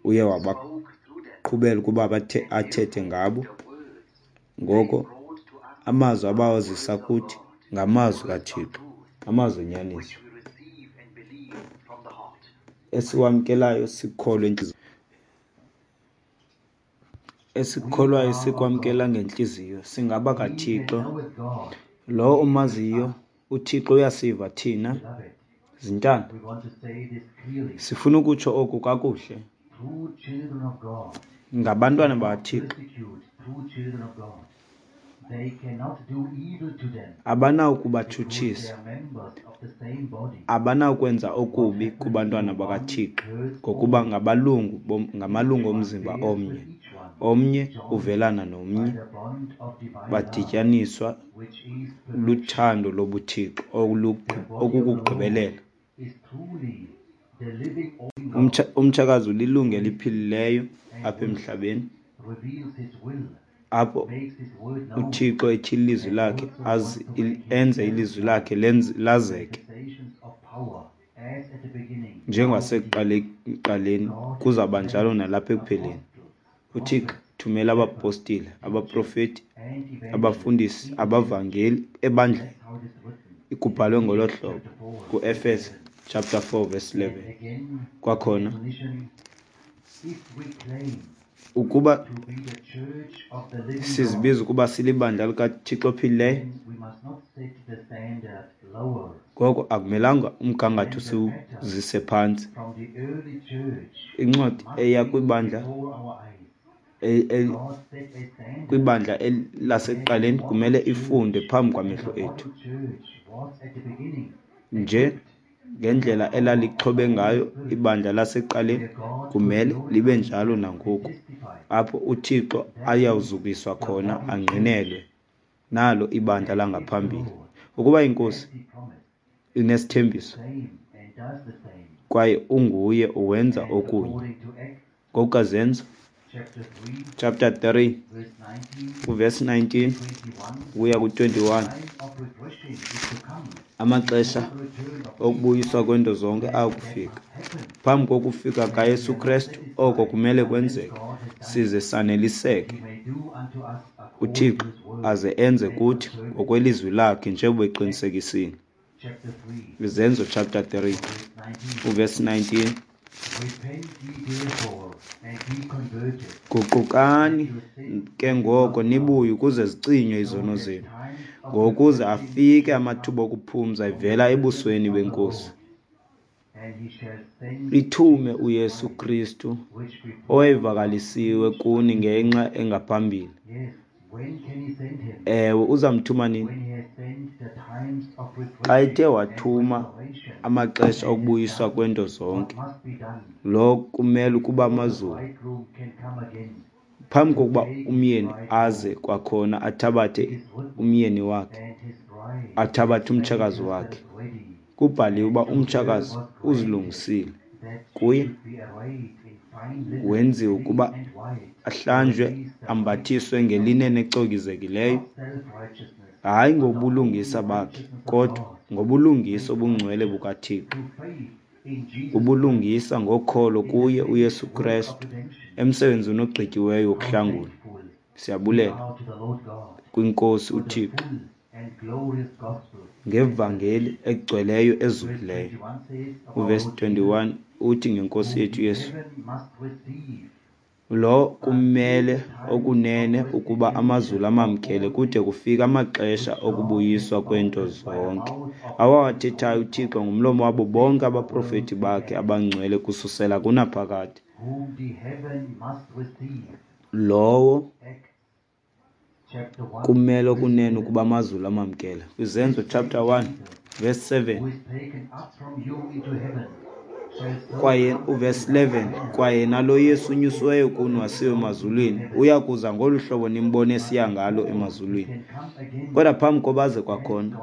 uye wabaqhubela ukuba athethe ngabo, ngoko amazwi abawazisa kuthi ngamazwi kaThixo, amazwi enyaniso esiwamkelayo sikholwe esikholwayo sikwamkela ngentliziyo. Singaba kaThixo. Lowo umaziyo uThixo uyasiva thina. Zintanda, sifuna ukutsho oku kakuhle. Ngabantwana bakaThixo abanawukubatshutshisa, abanawukwenza okubi kubantwana bakaThixo, ngokuba ngabalungu ngamalungu omzimba omnye. Omnye uvelana nomnye, badityaniswa luthando lobuThixo okukugqibelela. Umtshakazi ulilungu eliphilileyo apha emhlabeni, apho uThixo etyhila ilizwi lakhe enze ilizwi lakhe lazeke njengasekuqaleni, kuzawuba njalo nalapha ekupheleni. UThixo thumela abapostile, abaprofeti, abafundisi, abavangeli ebandleni. Kubhalwe ngolo hlobo kuEfese chapter 4 verse 11. Kwakhona ukuba sizibiza ukuba silibandla likaThixo ophilileyo, ngoko akumelanga umgangatho siwuzise phantsi. Incwadi eya kwibandla kwibandla lasekuqaleni kumele ifundwe phambi kwamehlo ethu. Nje ngendlela elalixhobe ngayo ibandla lasekuqaleni, kumele libe njalo nangoku, apho uThixo ayawuzukiswa khona angqinelwe nalo ibandla langaphambili. Ukuba inkosi inesithembiso kwaye unguye uwenza okunye. NgokukaZenzo chapter 3 uverse 19 ukuya ku-21, amaxesha okubuyiswa kwento zonke ayakufika phambi kokufika kaYesu Kristu. Oko kumele kwenzeke size saneliseke, uThixo aze enze kuthi ngokwelizwi lakhe njengoba eqinisekisile. Izenzo chapter 3 uverse 19, guqukani ke ngoko nibuye ukuze zicinywe izono zenu, ngokuze afike amathuba okuphumza evela ebusweni benkosi, ithume uYesu Kristu owayevakalisiwe kuni ngenxa engaphambili. Ewe, uzamthuma nini? Xa ethe wathuma amaxesha okubuyiswa kwento zonke, lo kumele ukuba amazulu phambi kokuba umyeni aze kwakhona athabathe umyeni wakhe, athabathe umtshakazi wakhe. Kubhaliwe uba umtshakazi uzilungisile kuye, wenziwe ukuba ahlanjwe, ambathiswe ngelinen ecokizekileyo, hayi ngobulungisa bakhe, kodwa ngobulungisa obungcwele bukaThixo, ubulungisa ngokholo kuye uYesu Kristu emsebenzini ogqityiweyo wokuhlangula. Siyabulela kwinkosi uThixo ngevangeli egcweleyo ezukileyo. Uvesi 21 uthi ngenkosi yethu Yesu, lo kumele okunene ukuba amazulu amamkele kude kufike amaxesha okubuyiswa kwento zonke, awawathethayo uThixo ngomlomo wabo bonke abaprofeti bakhe abangcwele kususela kunaphakade. Lowo kumele okunene ukuba amazulu amamkele. Kwizenzo chapter 1 verse 7. Kwaye uvesi 11, kwaye nalo Yesu unyusiweyo kuni wasiwe emazulwini, uya kuza ngolu hlobo nimbone esiya ngalo emazulwini. Kodwa phambi koba aze kwakhona,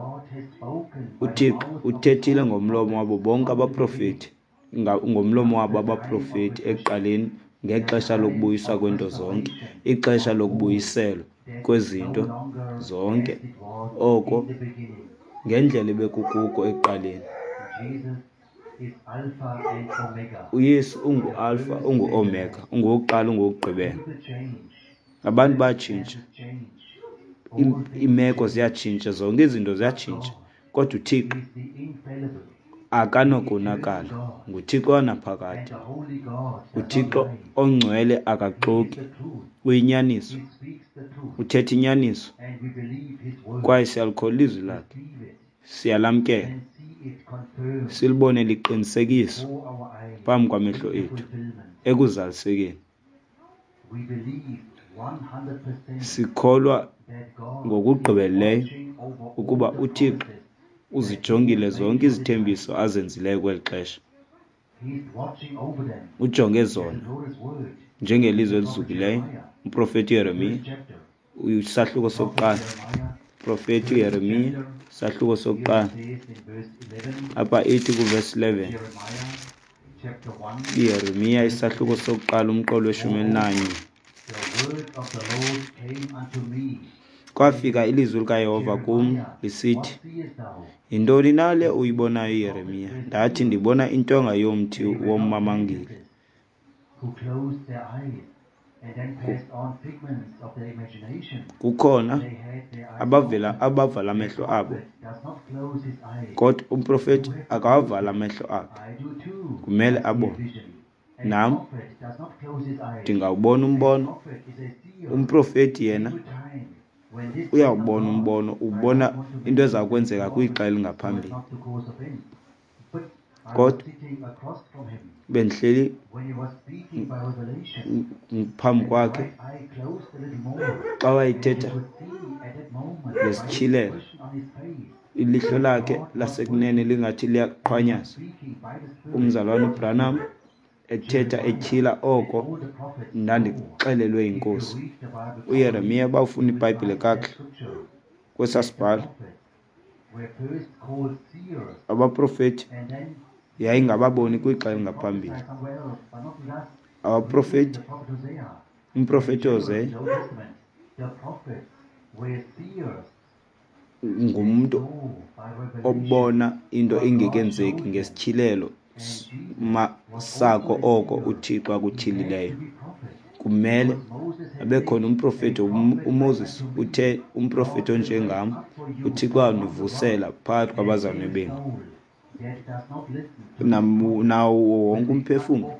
uThixo uthethile ngomlomo wabo bonke abaprofeti, ngomlomo wabo abaprofeti ekuqaleni ngexesha lokubuyiswa kwento zonke, ixesha lokubuyiselwa kwezinto zonke, oko ngendlela ebekukuko ekuqaleni. UYesu unguAlpha, unguOmega, ungowokuqala, ungowokugqibela. Abantu bayatshintsha, iimeko ziyatshintsha, zonke izinto ziyatshintsha, kodwa uThixo akanokonakala. NguThixo wanaphakade. UThixo ongcwele akaxoki, uyinyaniso, uthetha inyaniso, kwaye siyalikholwa ilizwi lakhe, siyalamkela, silibone liqinisekiswa phambi kwamehlo ethu ekuzalisekeni. Sikholwa ngokugqibeleleyo ukuba uThixo uzijongile zonke izithembiso azenzileyo kweli xesha. Ujonge zona njengelizwi elizukileyo. Umprofeti uYeremiya, isahluko sokuqala. Umprofeti uYeremiya, isahluko sokuqala. Apha ithi kuvesi 11. UYeremiya isahluko sokuqala umqolo weshumi elinanye. Kwafika ilizwi likaYehova kum lisithi, yintoni na le uyibonayo, Yeremiya? Ndathi, ndibona intonga yomthi wommamangile. Kukhona abavela abavala amehlo abo, kodwa umprofeti akawavala amehlo akhe, kumele abone. Nam ndingawubona umbono. Umprofeti yena uyawubona umbono, ubona into eza kwenzeka kwixa elingaphambili. Kodwa bendihleli phambi kwakhe xa wayethetha ngesityhilelo, ilihlo lakhe lasekunene lingathi liyaqhwanyaza. Umzalwana uBranham ethetha etyhila oko ndandixelelwe yiNkosi. UYeremiya, uba ufunda iBhayibhile kakuhle kwesaa sibhalo, abaprofeti yayingababoni kwixa elingaphambili. Abaprofeti, umprofeti uHosea ngumntu obona into ingekenzeki ngesityhilelo sako oko uThixo akutyhilileyo. Kumele abe khona umprofeti. UMoses uthe, umprofeti onjengam uThixo wandivusela phakathi kwabazalwane benu. Nawo wonke umphefumlo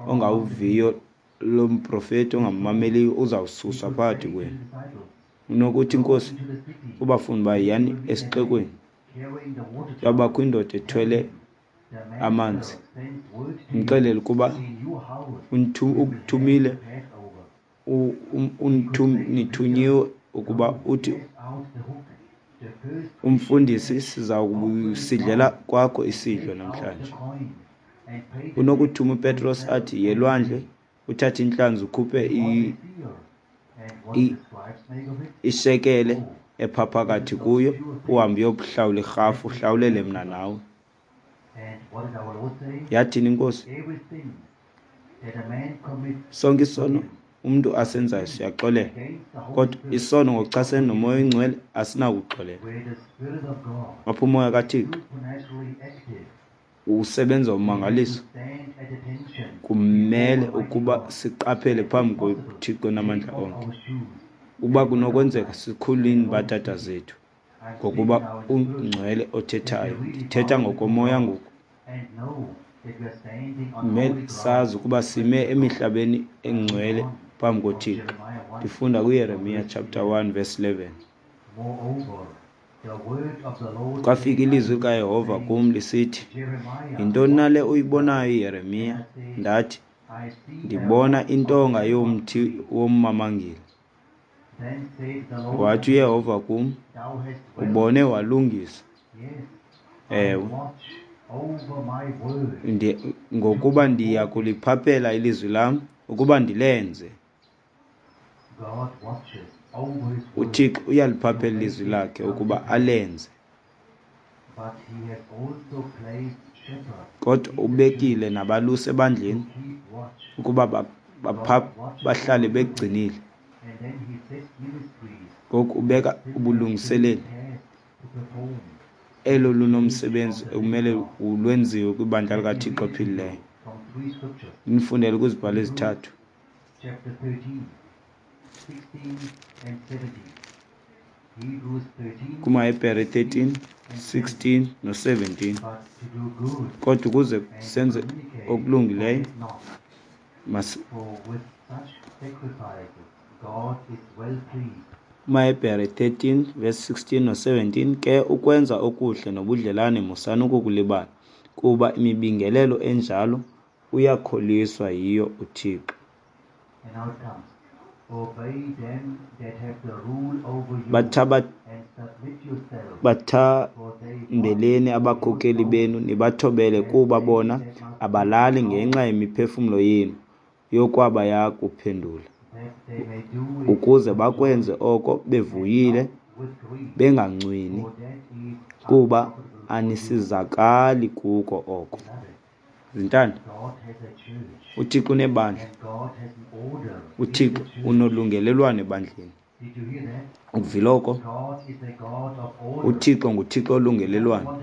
ongawuviyo lo mprofeti, ongammameliyo, uzawususwa phakathi kwenu. Unokuthi inkosi kubafundi uba yiyani esixekweni, yabakho indoda ethwele amanzi, mxelele ukuba ukuthumile, nithunyiwe ukuba uthi umfundisi siza kusidlela kwakho isidlo namhlanje. Unokuthuma uPetros athi yelwandle, uthathe intlanzi ukhuphe ishekele epha phakathi kuyo, uhambe uyokuhlawula irhafu, uhlawulele mna nawe. Yathini inkosi? Sonke isono umntu asenzayo siyaxolela, kodwa isono ngokuchasene nomoya oyingcwele asinakuxolela. Apho umoya kaThixo usebenza ummangaliso, kumele ukuba siqaphele phambi koThixo namandla onke. Uba kunokwenzeka sikhulule iimbadada zethu, ngokuba ungcwele othethayo. Ndithetha ngokomoya ngoku. Kumele sazi ukuba sime emihlabeni engcwele phambi koThixo. Ndifunda kuYeremiya chapter 1 verse 11. Kwafika ilizwi likaYehova kum lisithi, yintoni na le uyibonayo, Yeremiya? Ndathi, ndibona intonga yomthi wommamangile. Wathi uYehova kum, ubone walungisa. Ewe, Ngokuba ndiya kuliphaphela ilizwi lam ukuba ndilenze. UThixo uyaliphaphela ilizwi lakhe ukuba alenze. Kodwa ubekile nabalusi ebandleni ukuba bahlale begcinile. Ngoku ubeka ubulungiseleli elo lunomsebenzi ekumele lwenziwe kwibandla likaThixo ophilileyo. Ndinifundele kwizibhalo ezithathu. KumaHebhere 13, 16 no-17. Kodwa ukuze senze okulungileyo KumaHebhere 13 verse 16 no-17, ke ukwenza okuhle nobudlelane musani ukukulibala, kuba imibingelelo enjalo uyakholiswa yiyo uThixo. Bathambeleni abakhokeli benu nibathobele, kuba bona abalali ngenxa yemiphefumlo yenu yokwaba yakuphendula, ukuze bakwenze oko bevuyile bengancwini, kuba anisizakali kuko oko. Zintanda, uThixo unebandla, uThixo unolungelelwano ebandleni. Ukuvile oko? UThixo nguThixo olungelelwano,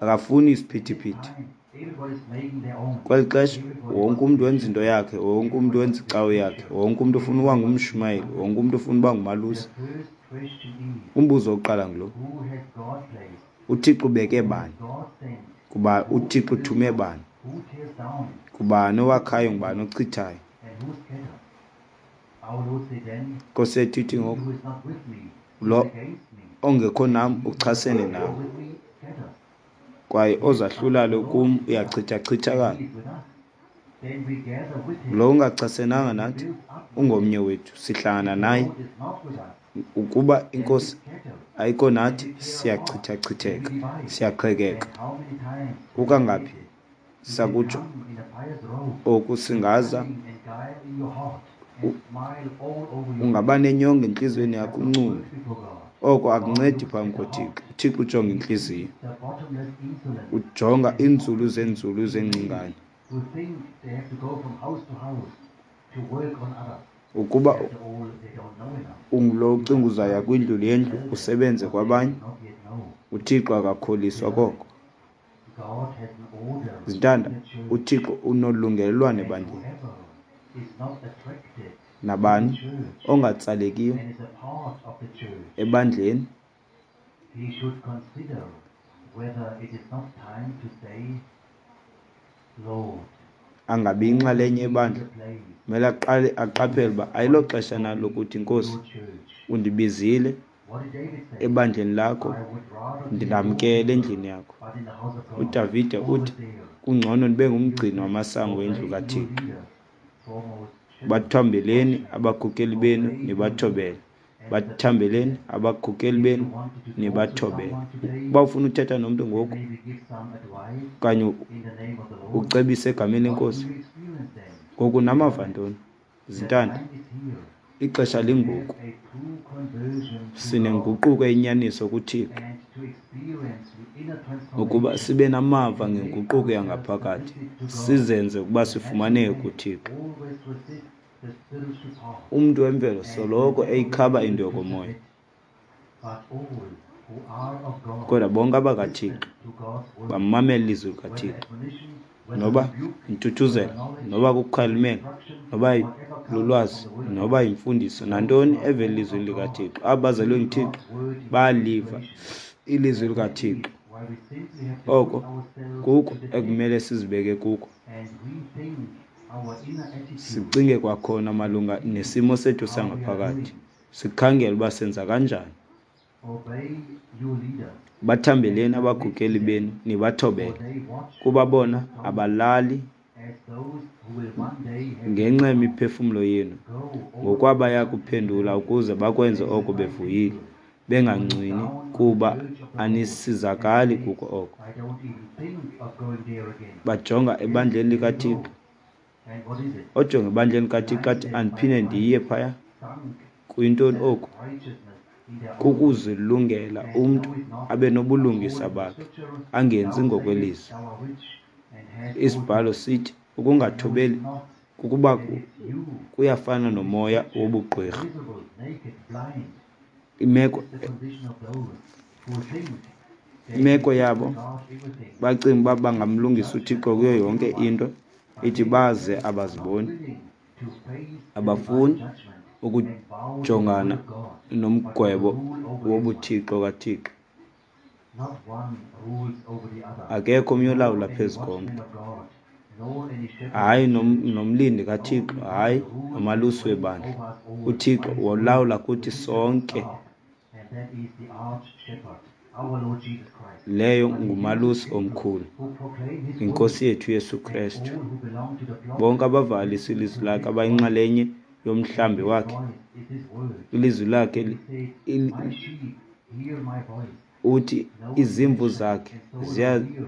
akafuni isiphithiphithi. Kweli xesha wonke umntu wenza into yakhe, wonke umntu wenza icawe yakhe, wonke umntu ufuna uba ngumshumayeli, wonke umntu ufuna uba ngumalusi. Umbuzo wokuqala ngulo, uThixo ubeke bani? Kuba uThixo uthume bani? Ngubani owakhayo, ngubani ochithayo? Nkosi yethu ithi ngoku, lo ongekho nam uchasene nam, kwaye ozahlulayo kum uyachithachithakala. Lo ungachasenanga nathi ungomnye wethu, sihlangana naye. Ukuba iNkosi ayikho nathi, siyachithachitheka, siyaqhekeka. Kukangaphi sakutsho oku singaza, ungaba nenyongo entliziyweni yakho uncume. Oko akuncedi phambi koThixo. UThixo ujonga intliziyo, ujonga iinzulu zeenzulu zengcingane. Ukuba ungulo ucinga uzaya kwindlu yendlu usebenze kwabanye, uThixo akakholiswa koko. Zintanda, uThixo unolungelelwano ebandleni. Nabani ongatsalekiyo ebandleni angabi yinxalenye yebandla, kumele aqale aqaphele uba ayiloxesha na lokuthi, Nkosi, undibizile ebandleni lakho, ndindamkele endlini yakho. UDavide uthi, kungcono ndibe ngumgcini wamasango endlu kaThixo. Bathambeleni abakhokeli benu nibathobele. Bathambeleni abakhokeli benu nibathobele. Uba ufuna uthetha nomntu ngoku okanye ucebise egameni leNkosi, ngoku namava ntoni? Zintanda, ixesha lingoku. Sinenguquko eyinyaniso kuThixo ukuba sibe namava ngenguquko yangaphakathi, sizenze ukuba sifumaneke kuThixo. Umntu wemvelo soloko eyikhaba into yokomoya, kodwa bonke abakaThixo bamamela ilizwi likaThixo, noba yintuthuzelo, noba kukukhalimela, noba lulwazi, noba yimfundiso, nantoni evela elizwini likaThixo. Abo bazelwe nguThixo bayaliva ilizwi likaThixo. Oko kuko ekumele sizibeke kuko, sicinge kwakhona malunga nesimo sethu sangaphakathi, sikhangele uba senza kanjani. Bathambeleni abakhokeli benu nibathobele, kuba bona abalali ngenxa yemiphefumlo yenu, ngokwabaya kuphendula ukuze bakwenze oko bevuyile, Bengancwini kuba anisizakali kuko oko. Bajonga ebandleni likaThixo. Ojonga ebandleni likaThixo athi, andiphinde ndiye phaya. Kuyintoni oku? Kukuzilungela umntu abe nobulungisa bakhe, angenzi ngokwelizwi. Isibhalo sithi ukungathobeli kukuba kuyafana nomoya wobugqwirha. Imeko imeko yabo bacinga uba bangamlungisa uThixo kuyo yonke into, ithi baze abaziboni. Abafuni ukujongana nomgwebo wobuthixo kaThixo. Akekho omnye olawula phezu komntu, hayi nomlindi kaThixo, hayi nomalusi webandla. UThixo wolawula kuthi sonke. Leyo ngumalusi omkhulu, iNkosi yethu uYesu Krestu. Bonke abavakalisa ilizwi lakhe abayinxalenye yomhlambi wakhe, ilizwi lakhe uthi izimvu zakhe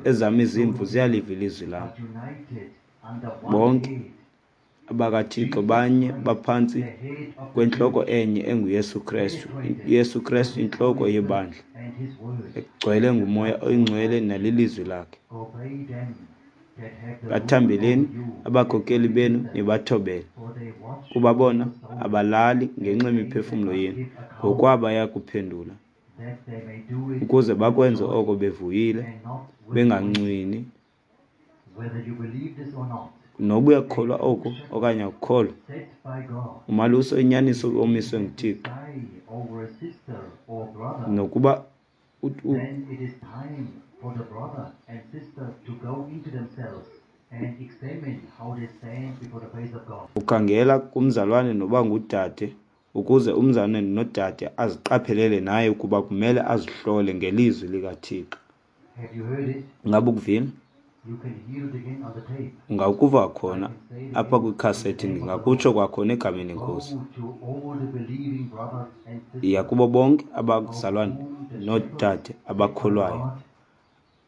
ezam izimvu ziyaliva ilizwi lam. Bonke abakaThixo banye baphantsi kwentloko enye enguYesu Krestu. UYesu Krestu intloko yebandla egcwele nguMoya oyiNgcwele nalilizwi lakhe. Bathambeleni abakhokeli benu nibathobele, kuba bona abalali ngenxa yemiphefumlo yenu, ngokwabo bayakuphendula, ukuze bakwenze oko bevuyile, bengancwini. Noba uyakukholwa oku okanye akukholwa, umalusi oyinyaniso omiswe nguThixo, nokuba ukhangela kumzalwane noba ngudade, ukuze umzalwane nodade aziqaphelele naye ukuba kumele azihlole ngelizwi likaThixo. Ingaba ukuvile? Ungakuva khona apha kwikhasethi, ndingakutsho kwakhona egameni leNkosi. Yiya kubo bonke abazalwane noodade abakholwayo,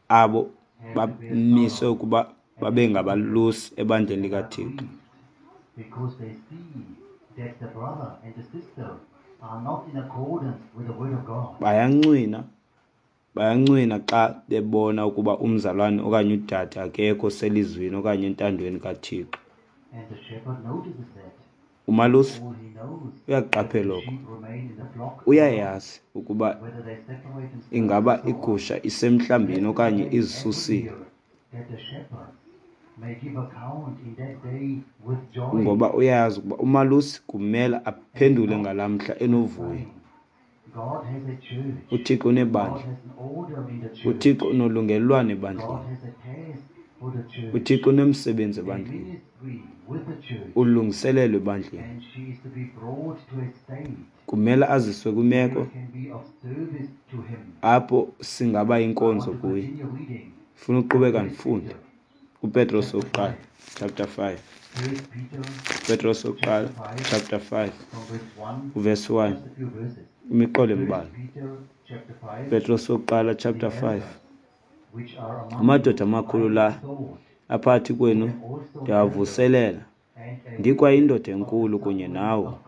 abo bamiswe ukuba babe ngabalusi ebandleni likaThixo. Bayancwina, bayancwina xa bebona ukuba umzalwane okanye udade akekho selizwini okanye entandweni kaThixo. Umalusi uyakuqaphela oko. Uyayazi ukuba ingaba igusha isemhlambini okanye izisusile. Ngoba uyayazi ukuba umalusi kumele aphendule ngalaa mhla enovuyo. UThixo unebandla. UThixo unolungelelwano ebandleni. UThixo unomsebenzi ebandleni. Ulungiselelo ebandleni. Kumele aziswe kwimeko apho singaba yinkonzo kuye. Funa uqhubeka ndifunde kuPetros wokuqala chapter 5. Petros wokuqala chapter 5 uverse 1, imiqolo embalwa. Petros wokuqala chapter 5. Amadoda amakhulu la aphakathi kwenu ndiyawavuselela, ndikwayindoda enkulu kunye nawo,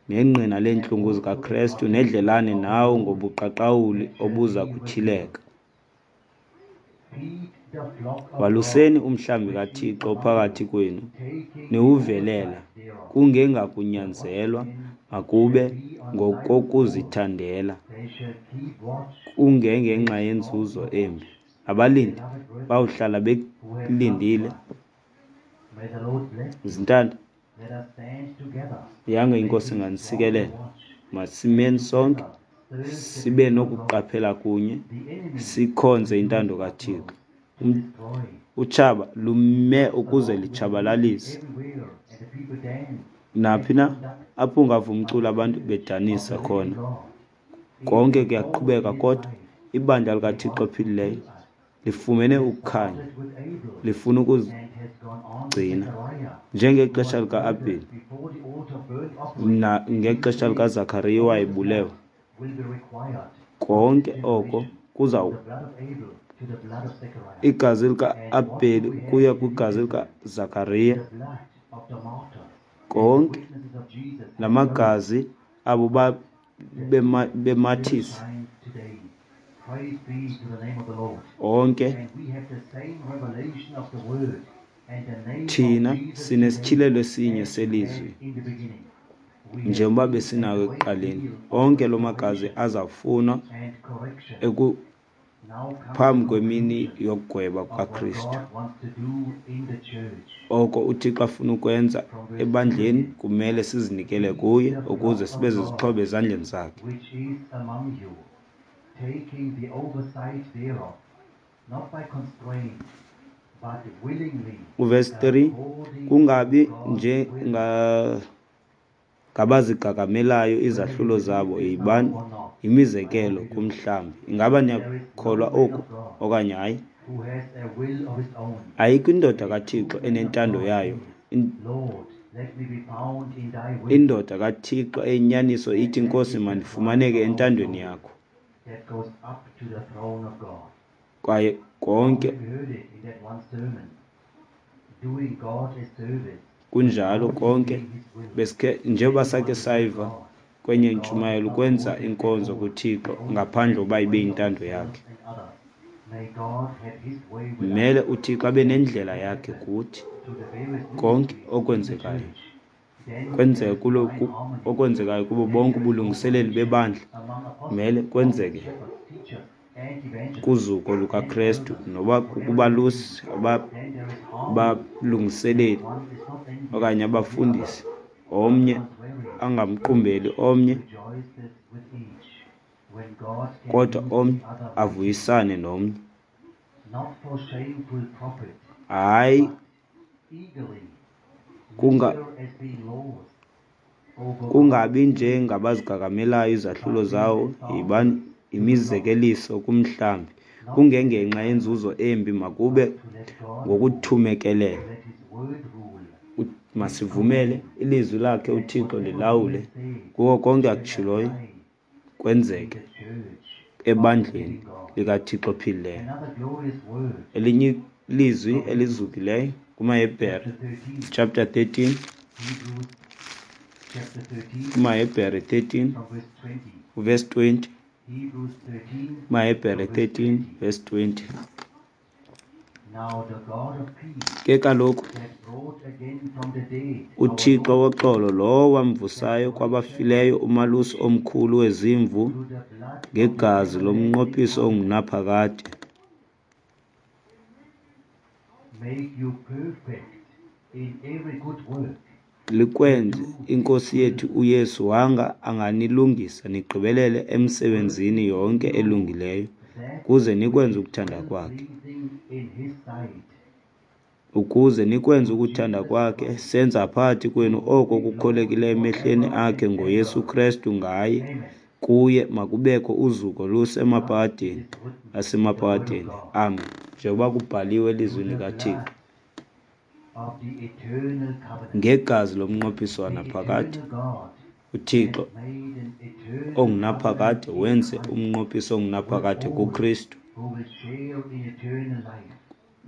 nengqina leentlungu zikaKrestu, nedlelane nawo ngobuqaqawuli obuza kutyhileka. Waluseni umhlambi kaThixo ophakathi kwenu, niwuvelela, kungengakunyanzelwa, makube ngokokuzithandela, kungengenxa yenzuzo embi. Abalindi bawuhlala belindile. Zintanda, yanga iNkosi inganisikelela. Masimeni sonke sibe nokuqaphela kunye, sikhonze intando kaThixo. Utshaba lume ukuze litshabalalise. Naphi na apho ungava umculo abantu bedanisa khona, konke kuyaqhubeka, kodwa ibandla likaThixo ophilileyo lifumene ukukhanya, lifuna ukuzigcina njengexesha lika-Abheli ngexesha likaZakariya wayebulewe. Konke oko kuza igazi lika-Abheli ukuya kwigazi likaZakariya, konke la magazi abo bemathisa onke. Thina sinesityhilelo esinye selizwi njengoba besinawo ekuqaleni. Onke loo magazi azawufunwa phambi kwemini yokugweba kukaKristu. Oko uThixo afuna ukwenza ebandleni kumele sizinikele kuye ukuze sibe zizixhobo ezandleni zakhe. Uvesi 3, kungabi nje ngabazigagamelayo izahlulo zabo, yibani yimizekelo kumhlambi. Ingaba niyakholwa oku okanye hayi? Ayikho indoda kaThixo enentando yayo. Indoda kaThixo eyinyaniso ithi, Nkosi, mandifumaneke entandweni yakho. Kwaye konke kunjalo, konke besikhe njengoba sakhe sayiva kwenye intshumayelo, ukwenza inkonzo kuThixo ngaphandle uba ibe yintando yakhe. Mele uThixo abe nendlela yakhe kuthi. Konke okwenzekayo kwenzeke kulo, okwenzekayo kubo bonke ubulungiseleli bebandla mele kwenzeke kuzuko lukaKristu, noba kukubalusi, abalungiseleli okanye abafundisi, omnye angamqumbeli omnye, kodwa omnye avuyisane nomnye. Hayi, kungabi nje ngabazigagamelayo izahlulo zawo, yibani imizekeliso kumhlambi, kungengenxa yenzuzo embi, makube ngokuthumekelela. Masivumele ilizwi lakhe uThixo lilawule kuko konke akutshiloyo kwenzeke ebandleni likaThixo ophilileyo. Elinye ilizwi elizukileyo kumaHebhere chapter 13, kumaHebhere 13 verse 20, kumaHebhere 13 verse 20. Ke kaloku uThixo woxolo, lowo wamvusayo kwabafileyo umalusi omkhulu wezimvu ngegazi lomnqophiso ongunaphakade, likwenze iNkosi yethu uYesu wanga anganilungisa nigqibelele emsebenzini yonke elungileyo, ukuze nikwenze ukuthanda kwakhe. Ukuze nikwenze ukuthanda kwakhe, senza phakathi kwenu oko kukholekileyo emehlweni akhe ngoYesu Kristu. Ngaye, kuye makubekho uzuko lusemaphakadeni asemaphakadeni. Amen. Njengoba kubhaliwe elizwini likaThixo, ngegazi lomnqophiso wanaphakade, uThixo ongunaphakade wenze umnqophiso ongunaphakade kuKristu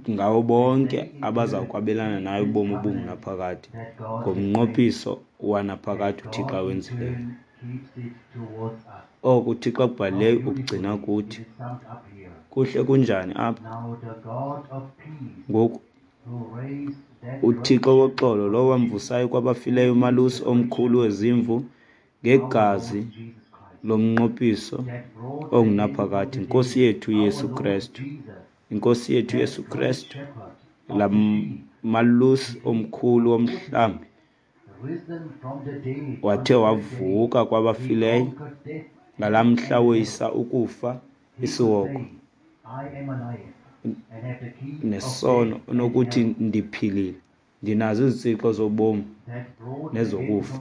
ngawo bonke abaza kwabelana naye ubomi obungunaphakade ngomnqophiso wanaphakade uThixo awenzileyo. Oko uThixo akubhalileyo ukugcina kuthi. Kuhle kunjani apha? Ngoku uThixo woxolo, lowo wamvusayo kwabafileyo umalusi omkhulu wezimvu ngegazi lomnqophiso ongunaphakade, iNkosi yethu Yesu Kristu, iNkosi yethu Yesu Kristu, la malusi omkhulu womhlambi wathe wavuka kwabafileyo ngalaa mhla woyisa ukufa, isihogo nesono, unokuthi ndiphilile, ndinazo izitsixo zobomi nezokufa.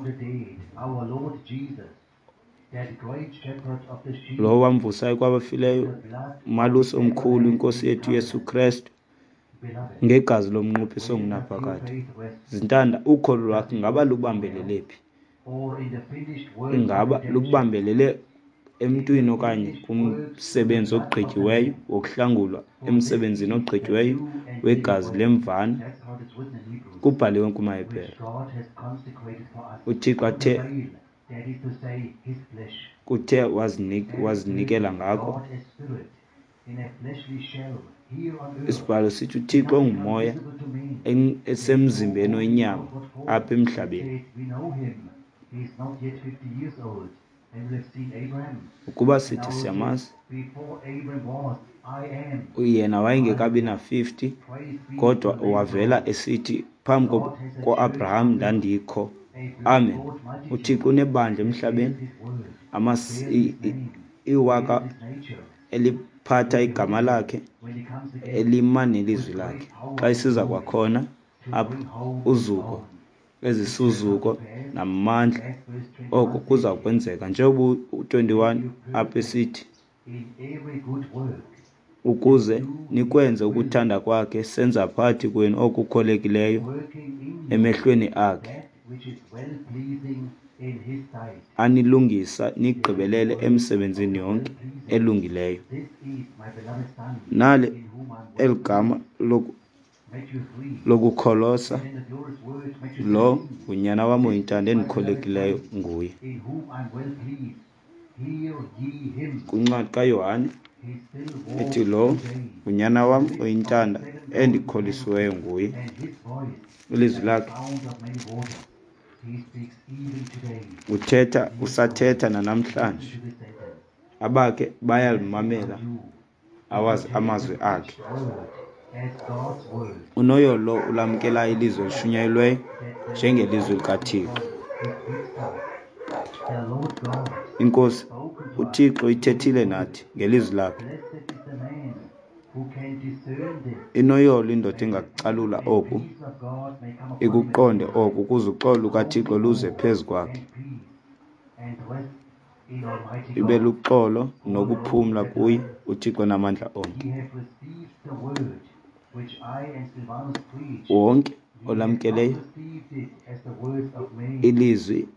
Lowo wamvusayo kwabafileyo umalusi omkhulu, iNkosi yethu Yesu Kristu, ngegazi lomnqophiso ongunaphakade. Zintanda, ukholo lwakho ingaba lubambelele phi? Ingaba lubambelele Emntwini okanye kumsebenzi ogqityiweyo wokuhlangulwa, emsebenzini ogqityiweyo wegazi lemvana. Kubhaliwe kumaHebhere, uThixo athe kuthe wazinikela ngako. Isibhalo sithi uThixo ungumoya esemzimbeni wenyama apha emhlabeni. Ukuba sithi siyamazi, yena wayengekabi na-50, kodwa wavela esithi phambi koAbraham ndandikho. Amen. UThixo unebandla emhlabeni, iwaka eliphatha igama lakhe, elima nelizwi lakhe. Xa isiza kwakhona apha uzuko, ezisuzuko namandla, oko kuza kwenzeka njengoba u-21 apha esithi, ukuze nikwenze ukuthanda kwakhe, senza phakathi kwenu okukholekileyo emehlweni akhe, anilungisa nigqibelele emsebenzini yonke elungileyo. Nali eli gama lokukholosa, lo ngunyana wam oyintanda endikholekileyo nguye. Kwincwadi kaYohane ethi, lo ngunyana wam oyintanda endikholisiweyo nguye. Ilizwi lakhe uthetha, usathetha nanamhlanje. Abakhe bayalimamela amazwi akhe. Unoyolo lo ulamkelayo ilizwi elishunyayelweyo njengelizwi likaThixo. INkosi uThixo ithethile nathi ngelizwi lakhe. Inoyolo indoda engakucalula oku, ikuqonde oku, ukuze uxolo lukaThixo luze phezu kwakhe. Ibe luxolo nokuphumla kuye uThixo namandla onke. Wonke olamkeleyo ilizwi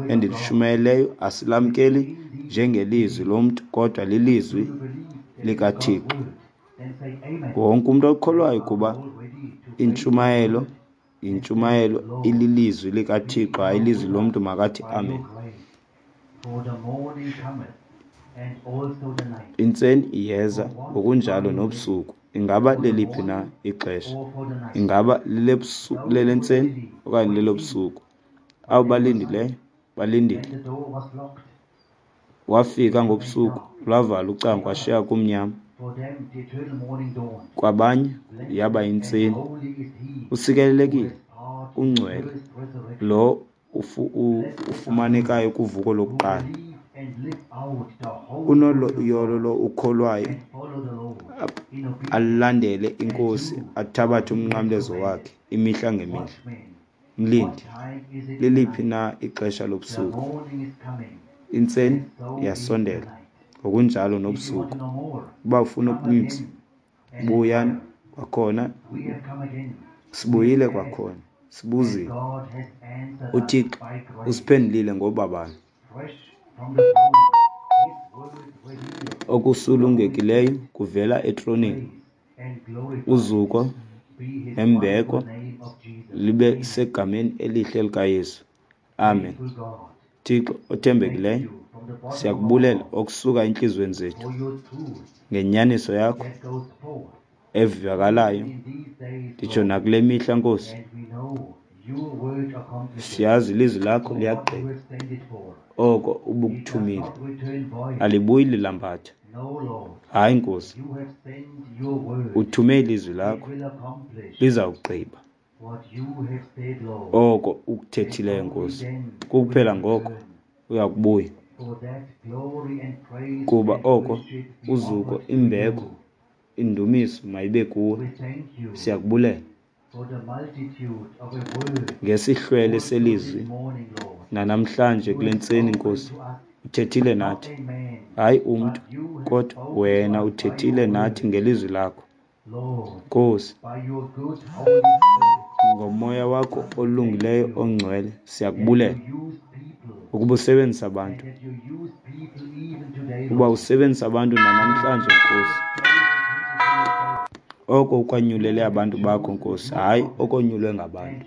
endilishumayeleyo asilamkeli njengelizwi lomntu, kodwa lilizwi likaThixo. Wonke umntu okholwayo ukuba intshumayelo yintshumayelo ililizwi likaThixo, hayi ilizwi lomntu, makathi amen. Intseni iyeza ngokunjalo nobusuku. Ingaba leliphi na ixesha? Ingaba lelentseni okanye lelobusuku? Abo balindileyo balindile. Wafika ngobusuku, lwavala ucango, washiya kumnyama. Kwabanye yaba yintseni. Usikelelekile, ungcwele lo ufumanekayo kuvuko lokuqala. Unoyolo lo ukholwayo, alandele iNkosi, athabathe umnqamlezo wakhe imihla ngemihla. Mlindi, liliphi na ixesha lobusuku? Intseni iyasondela, ngokunjalo nobusuku. Uba ufuna okuninzi, buyani kwakhona. Sibuyile kwakhona, sibuzile. UThixo usiphendulile ngobabalo. Okusulungekileyo kuvela etroneni. Uzuko nembeko libe segameni elihle likaYesu. Amen. Thixo othembekileyo, siyakubulela okusuka entliziyweni zethu ngenyaniso yakho evakalayo, nditsho nakule mihla, Nkosi. Siyazi ilizwi lakho liyagqiba oko ubukuthumile, alibuyi lilambatha. Hayi, Nkosi, uthume ilizwi lakho, lizawugqiba oko ukuthethileyo, Nkosi. Kukuphela ngoko uyakubuya, kuba oko uzuko, imbeko, indumiso mayibe kuwe. Siyakubulela ngesihlwele selizwi nanamhlanje kule ntseni, Nkosi. Uthethile nathi, hayi umntu, kodwa wena uthethile nathi ngelizwi lakho, Nkosi. Ngomoya wakho olungileyo ongcwele, siyakubulela ukuba usebenzisa abantu, Uba usebenzisa abantu nanamhlanje, Nkosi. Oko ukwanyulele abantu bakho, Nkosi, hayi okonyulwe ngabantu.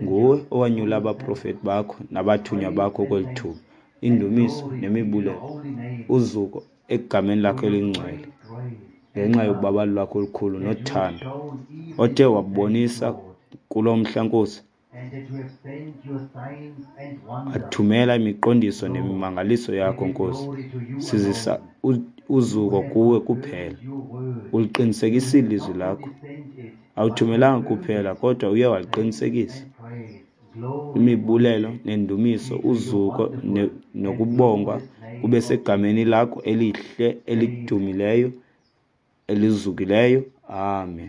Nguwe owanyula abaprofeti bakho nabathunywa bakho kweli thuba. Indumiso nemibulelo, uzuko egameni lakho elingcwele, ngenxa yobabalo lwakho olukhulu nothando othe wabonisa kulo mhla, Nkosi. Wathumela imiqondiso nemimangaliso yakho, Nkosi. Sizisa uzuko kuwe kuphela. Uliqinisekisile ilizwi lakho. Awuthumelanga kuphela kodwa uye waliqinisekisa. Imibulelo nendumiso, uzuko nokubongwa kube segameni lakho elihle elidumileyo elizukileyo. Amen.